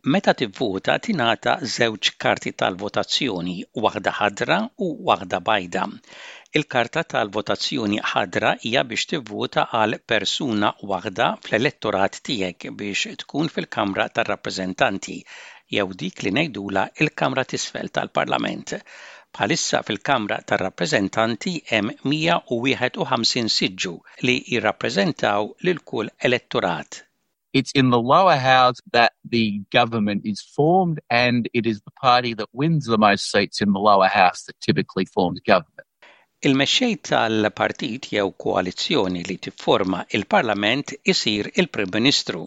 Meta tivvota tingħata żewġ karti tal-votazzjoni, waħda ħadra u waħda bajda. Il-karta tal-votazzjoni ħadra hija biex tivvota għal persuna waħda fl-elettorat tiegħek biex tkun fil-Kamra tar-Rappreżentanti jew dik li ngħidulha l-Kamra t'Isfel tal-Parlament. Bħalissa fil-Kamra tar-Rappreżentanti hemm 151 siġġu li jirrappreżentaw lil kull elettorat. It's in the lower house that the government is formed and it is the party that wins the most seats in the lower house that typically forms government. Il-mexxej tal-partit jew koalizzjoni li tifforma il-Parlament isir il-Prim Ministru.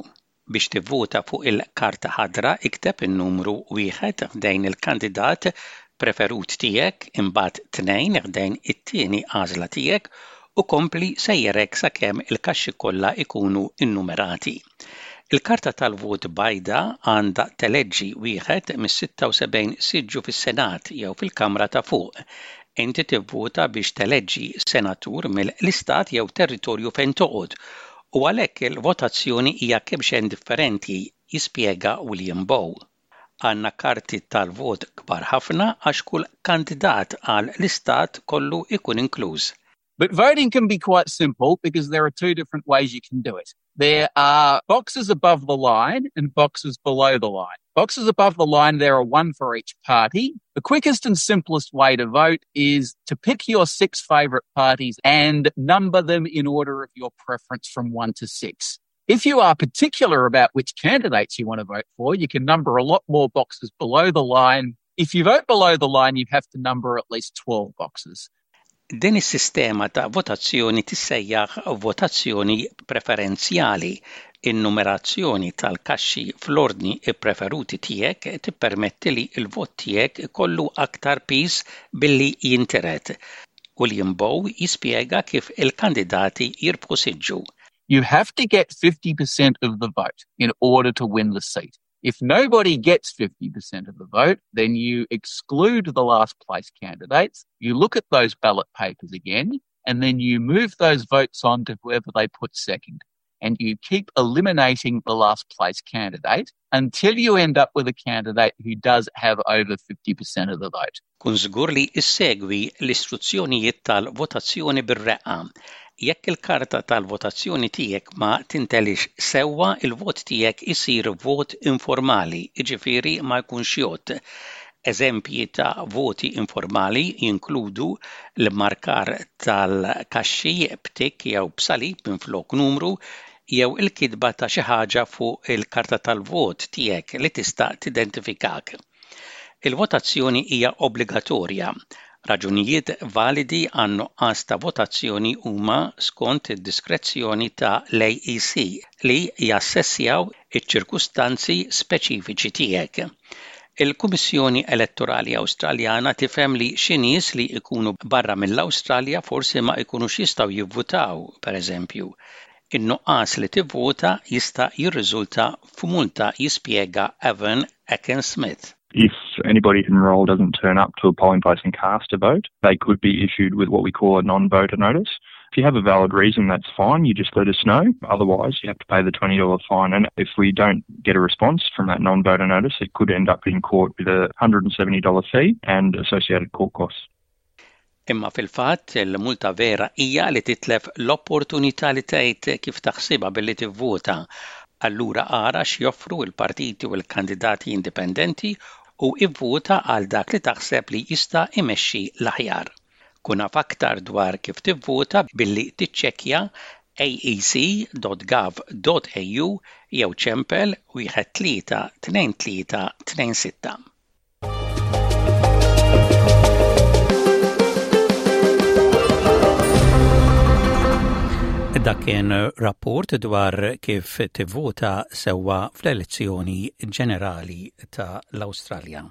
Biex tivvota fuq il-karta ħadra ikteb in-numru wieħed ħdejn il-kandidat preferut tiegħek, imbagħad tnejn ħdejn it-tieni għażla tiegħek u kompli sejjer hekk sakemm il-kaxxi kollha jkunu nnumerati. Il-karta tal-vot bajda għandha teleġġi wieħed mis-76 siġġu fis-Senat jew fil-Kamra ta' Fuq. Inti tivvota biex teleġġi senatur mill-istat jew territorju fejn toqgħod u għalhekk il-votazzjoni hija kemxejn differenti, jispjega William Bowe. Għandna karti tal-vot kbar ħafna għax kull kandidat għal l-istat kollu jkun inkluż. But voting can be quite simple because there are two different ways you can do it. There are boxes above the line and boxes below the line. Boxes above the line, there are one for each party. The quickest and simplest way to vote is to pick your six favourite parties and number them in order of your preference from one to six. If you are particular about which candidates you want to vote for, you can number a lot more boxes below the line. If you vote below the line, you have to number at least 12 boxes. Din is-sistema ta' votazzjoni tissejjaħ votazzjoni preferenzjali. In-numerazzjoni tal-kaxxi fl-ordni ppreferuti tiegħek tippermetti li l-vot tiegħek ikollu aktar piż billi jintiret. William Bowe jispjega kif il-kandidati jirbħu siġġu. You have to get 50% of the vote in order to win the seat. If nobody gets 50% of the vote, then you exclude the last place candidates, you look at those ballot papers again, and then you move those votes on to whoever they put second. And you keep eliminating the last place candidate until you end up with a candidate who does have over 50% of the vote. Kun żgur li issegwi l-istruzzjonijiet tal-votazzjoni bir-reqqa. Jekk il-karta tal-votazzjoni tiegħek ma tintelix sewwa, il-vot tiegħek isir vot informali, jiġifieri ma jkunx jgħodd. Eżempji ta' voti informali jinkludu l-immarkar tal-kaxxi b'tikk jew b'salib minflok numru, jew il-kitba ta' xi ħaġa fuq il-karta tal-vot tiegħek li tista' tidentifikak. Il-votazzjoni hija obbligatorja. Raġunijiet validi għan-nuqqas ta' votazzjoni huma skont id-diskrezzjoni ta' l-AEC li jassessjaw iċ-ċirkustanzi speċifiċi tiegħek. Il-Kummissjoni Elettorali Awstraljana tifhem li xi nies li jkunu barra mill-Awstralja forsi ma jkunux jistgħu jivvutaw, pereżempju. In-nuqqas li tivvota jista' jirriżulta f'multa jispjega Evan Ekin-Smith. If anybody enrolled doesn't turn up to a polling place and cast a vote, they could be issued with what we call a non-voter notice. If you have a valid reason, that's fine. You just let us know. Otherwise, you have to pay the $20 fine. And if we don't get a response from that non-voter notice, it could end up in court with a $170 fee and associated court costs. Imma fil-fatt il-multa vera hija li titlef l-opportunità li tgħid kif taħsibha billi tivvota. Allura ara x'joffru l-partiti u l-kandidati indipendenti u ivvota għal dak li taħseb li jista' imexxi l-aħjar. Kun af aktar dwar kif tivvota billi tiċċekkja aec.gov.au jew ċempel 132326. Dak kien rapport dwar kif tivvota sewwa fl-elezzjoni ġenerali ta' l-Awstralja.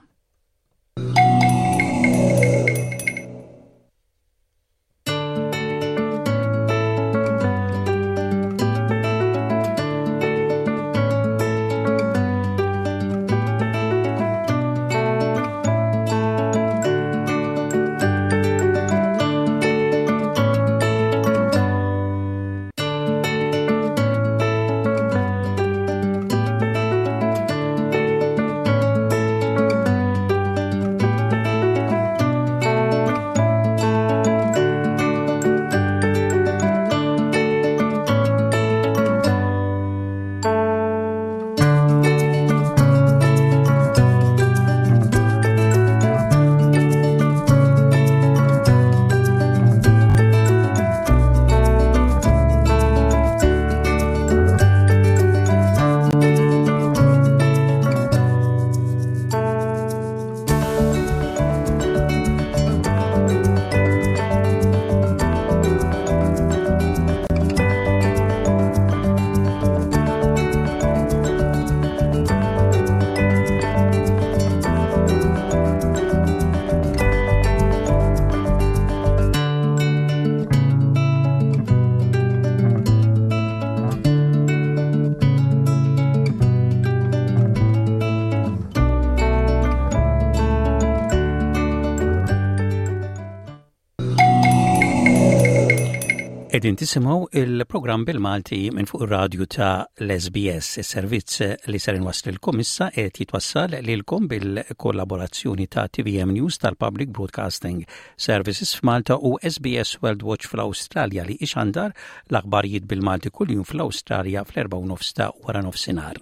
Qegħdin tisimgħu il-programm bil-Malti minn fuq ir-radju ta' l-SBS. Is-servizz li ser inwasslilkom issa qed jitwassal lilkom bil-kollaborazzjoni ta' TVM News tal-Public Broadcasting Services f'Malta u SBS World Watch fl-Awstralja li ixandar l-aħbarijiet bil-Malti kuljum fl-Awstralja fl-4 ta' wara nofsinhar.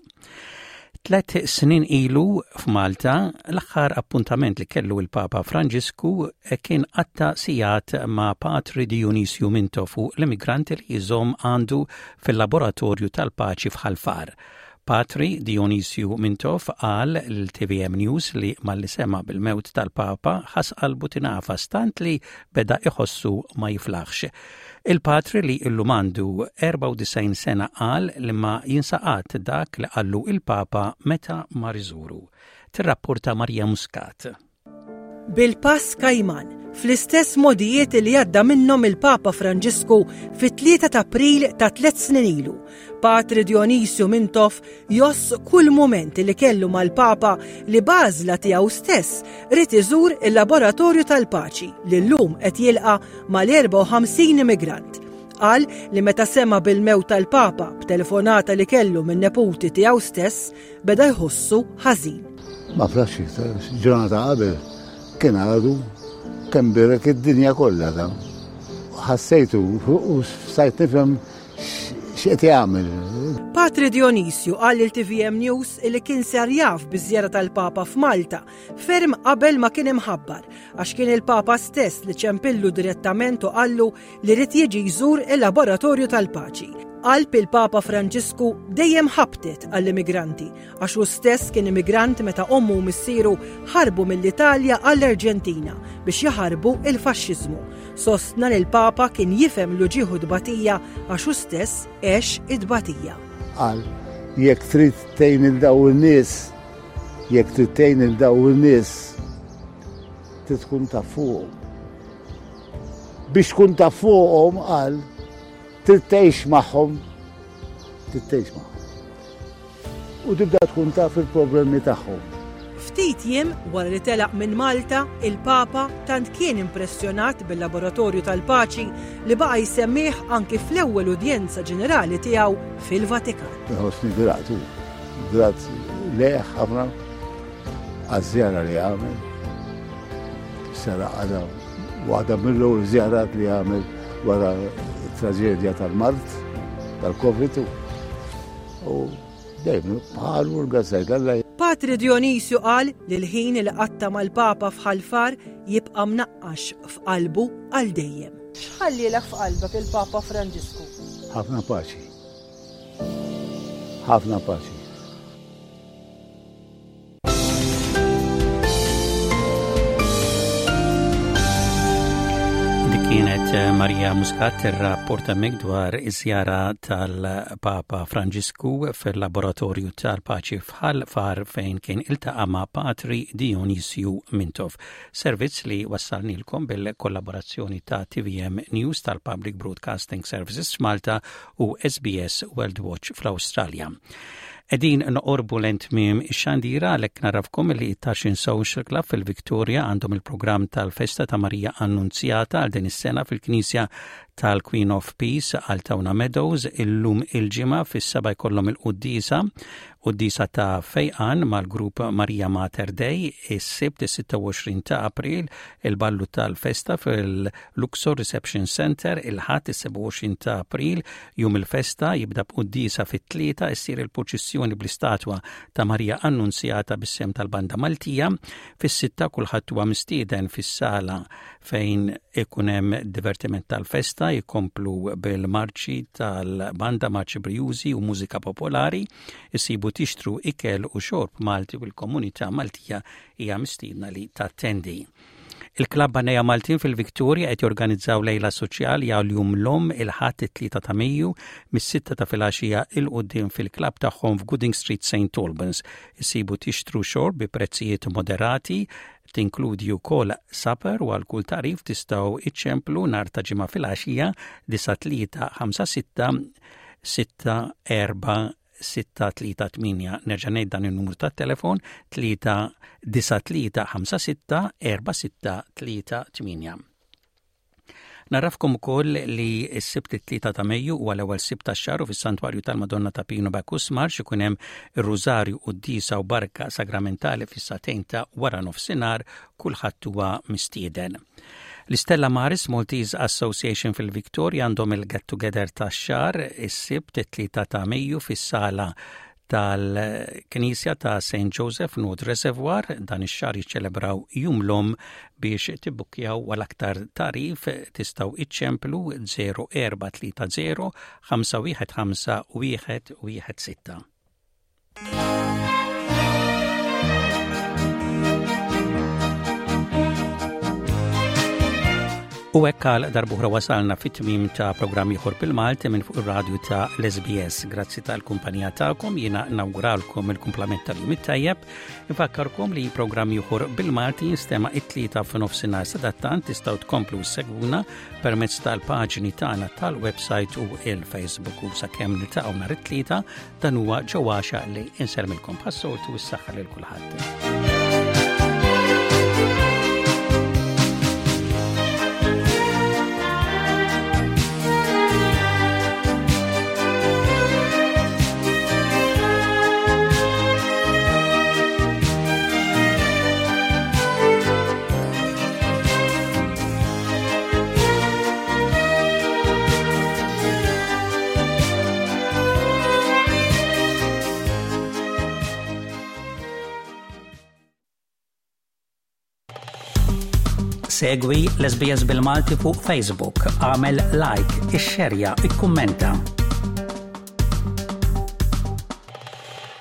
Tlet snin ilu f'Malta, l-aħħar appuntament li kellu il-Papa Franġisku kien qatta sigħat ma' Patri Dionisju Mintoff u l-immigranti li jżomm għandu fil-laboratorju tal-paċi f'Ħal Far. Patri Dionisju Mintoff qal lil TVM News li malli sema' bil-mewt tal-Papa ħass qalbu tingħafas tant li beda iħossu ma jiflaħx. Il-patri li illum għandu 94 sena qal li ma jinsa qatt dak li qallu il-Papa meta mar iżuru. Tirrapporta Maria Muscat. Bil-pass kajman, fl-istess mogħdijiet li għadda minnhom il-Papa Franġisku fit-3 ta' April ta' tliet snin ilu, Patri Dionisju Mintoff jgħożż kull mument li kellu mal-Papa li b'għażla tiegħu stess ried iżur il-Laboratorju tal-Paċi li llum qed jilqa' mal-54 immigrant. Qal li meta sema' bil-mewt tal-Papa b'telefonata li kellu min-neputi tiegħu stess, beda jħossu ħażin. Ma flax iktar, ġurnata qabel kien għadu kemm birek id-dinja kollha ta' ħassejtu u stajt nifhem X'qed jagħmel? Patri Dionisju qal lil TVM News li kien sar jaf biż-żjara tal-Papa f'Malta ferm qabel ma kien imħabbar għax kien il-Papa stess li ċempillu direttament u qallu li ried jiġi jżur il-Laboratorju tal-Paċi. Qalb il-Papa Franġisku dejjem ħabtet għall-immigranti għax hu stess kien immigrant meta ommu u missieru ħarbu mill-Italja għall-Arġentina biex jaħarbu il-faxxiżmu. Sostna li l-Papa kien jifhem l-uġigħ u t-tbatija għax hu stess għex it-tbatija. Qal, jekk trid tgħin 'il dawn in-nies, jekk trid tgħin 'il dawn in-nies, trid tkun taf fuqhom. Biex tkun taf fuqhom qal, trid tgħix magħhom, trid tgħix magħhom. U tibda tkun taf il-problemi tagħhom. Ftit jiem wara li telaq minn Malta, il-Papa tant kien impressjonat bil-Laboratorju tal-Paċi li baqa' jsemmih anki fl-ewwel udjenza ġenerali tiegħu fil-Vatikan. Nħossni grat u grat lejh ħafna għaż-żjara li għamel. Sara għadha waħda mill-ewwel żjarat li għamel wara t-traġedja tal-mard tal-Covid u dejjem bħalu l-gazzajt Alla. Patri Dionisju qal li l-ħin li qatta' mal-Papa f'Ħal Far jibqa' mnaqqax f'qalbu għal dejjem. X'ħallielek f'qalbek il-Papa Franġisku? Ħafna paċi. Ħafna paċi. Dik kienet eh, Maria Muscat tirrapporta mek dwar iż-żjara tal-Papa Franġisku fil-Laboratorju tal-Paċi f'Ħal Far fejn kien iltaqa' ma' Patri Dionisju Mintoff. Servizz li wassalnilkom bil-kollaborazzjoni ta' TVM News tal-Public Broadcasting Services f'Malta u SBS World Watch fl-Awstralja. Qegħdin noqorbu lejn tmiem ix-xandira għalhekk narafkom li t-Taxin Social Club fil-Victoria għandhom il-programm tal-festa ta' Marija Annunzjata għal din is-sena fil-Knisja tal-Queen of Peace għal Tawna Meadows illum il-ġimgħa fis-seba' jkollhom il-quddiesa quddiesa ta' fejqan mal-grupp Marija Mater Dei is-Sibt is-26 ta' April il-ballu tal-festa fil-Luxor Reception Center il-Ħadd is-27 ta' April Jum il-festa jibda b'quddiesa fit-tlieta issir il-purċissjoni bl-istatwa ta' Marija Annunzjata bis-sehem tal-Banda Maltija. Fis-sitta kulħadd huwa mistieden fis-sala fejn ikun hemm divertiment tal-festa jkomplu bil-marċi tal-banda marċi brijużi u mużika popolari, issibu tixtru ikel u xorb Malti u l-komunità Maltija hija mistiedna li tattendi. Il-Klabb Għannejja Maltin fil-Victoria qed jorganizzaw lejla soċjali għal Jum l-Omm il-Ħadd it-3 ta' Mejju mis-sitta ta' filgħaxija 'il quddiem fil-klabb tagħhom f'Gooding Street St Albans. Issibu tixtru xorb bi prezzijiet moderati, tinkludi wkoll supper u għal kull tagħrif tistgħu iċċemplu nhar ta' Ġimgħa filgħaxija 9356 64 638. Nerġa' ngħid dan in-numru tat-telefon 39356 4638. Narafkom ukoll li s-Sibt it-3 ta' Mejju huwa l-ewwel Sibt tax-xahar u fis-Santwarju tal-Madonna ta' Pino Bacchus Marx ikun hemm ir-Rużarju quddiesa u barka sagramentali fis-sagħtejn ta' wara nofsinhar kulħadd huwa mistieden. L-Istella Maris Maltese Association fil-Victoria għandhom il-Get Together tax-xahar is-Sibt it-3 ta' Mejju fis-sala tal-Knisja ta' St. Joseph North Reservoir dan ix-xahar jiċċelebraw Jum l-Omm biex tibbukkjaw għal aktar tagħrif tistgħu iċċemplu 0430 515 116. U hekk għal darbuħra wasalna fit-tmim ta' programm ieħor bil-Malti minn fuq ir-radju ta' l-SBS. Grazzi tal-kumpanija tagħkom jiena nawguralkom il-kumplament tal-jum it-tajjeb. Infakkarkom li programm ieħor bil-Malti jinstema' it-tlieta f'nofsinhar sadattant tistgħu tkomplu segwuna permezz tal-paġni tagħna tal-website u il-Facebook u sakemm niltaqgħu nhar it-tlieta Dan huwa Joe Għaxa li insellmilkom bħas-soltu s-saħħa lil kulħadd. Segwi l-SBS bil-Malti fuq Facebook, għamel like, ixxerja, ikkummenta.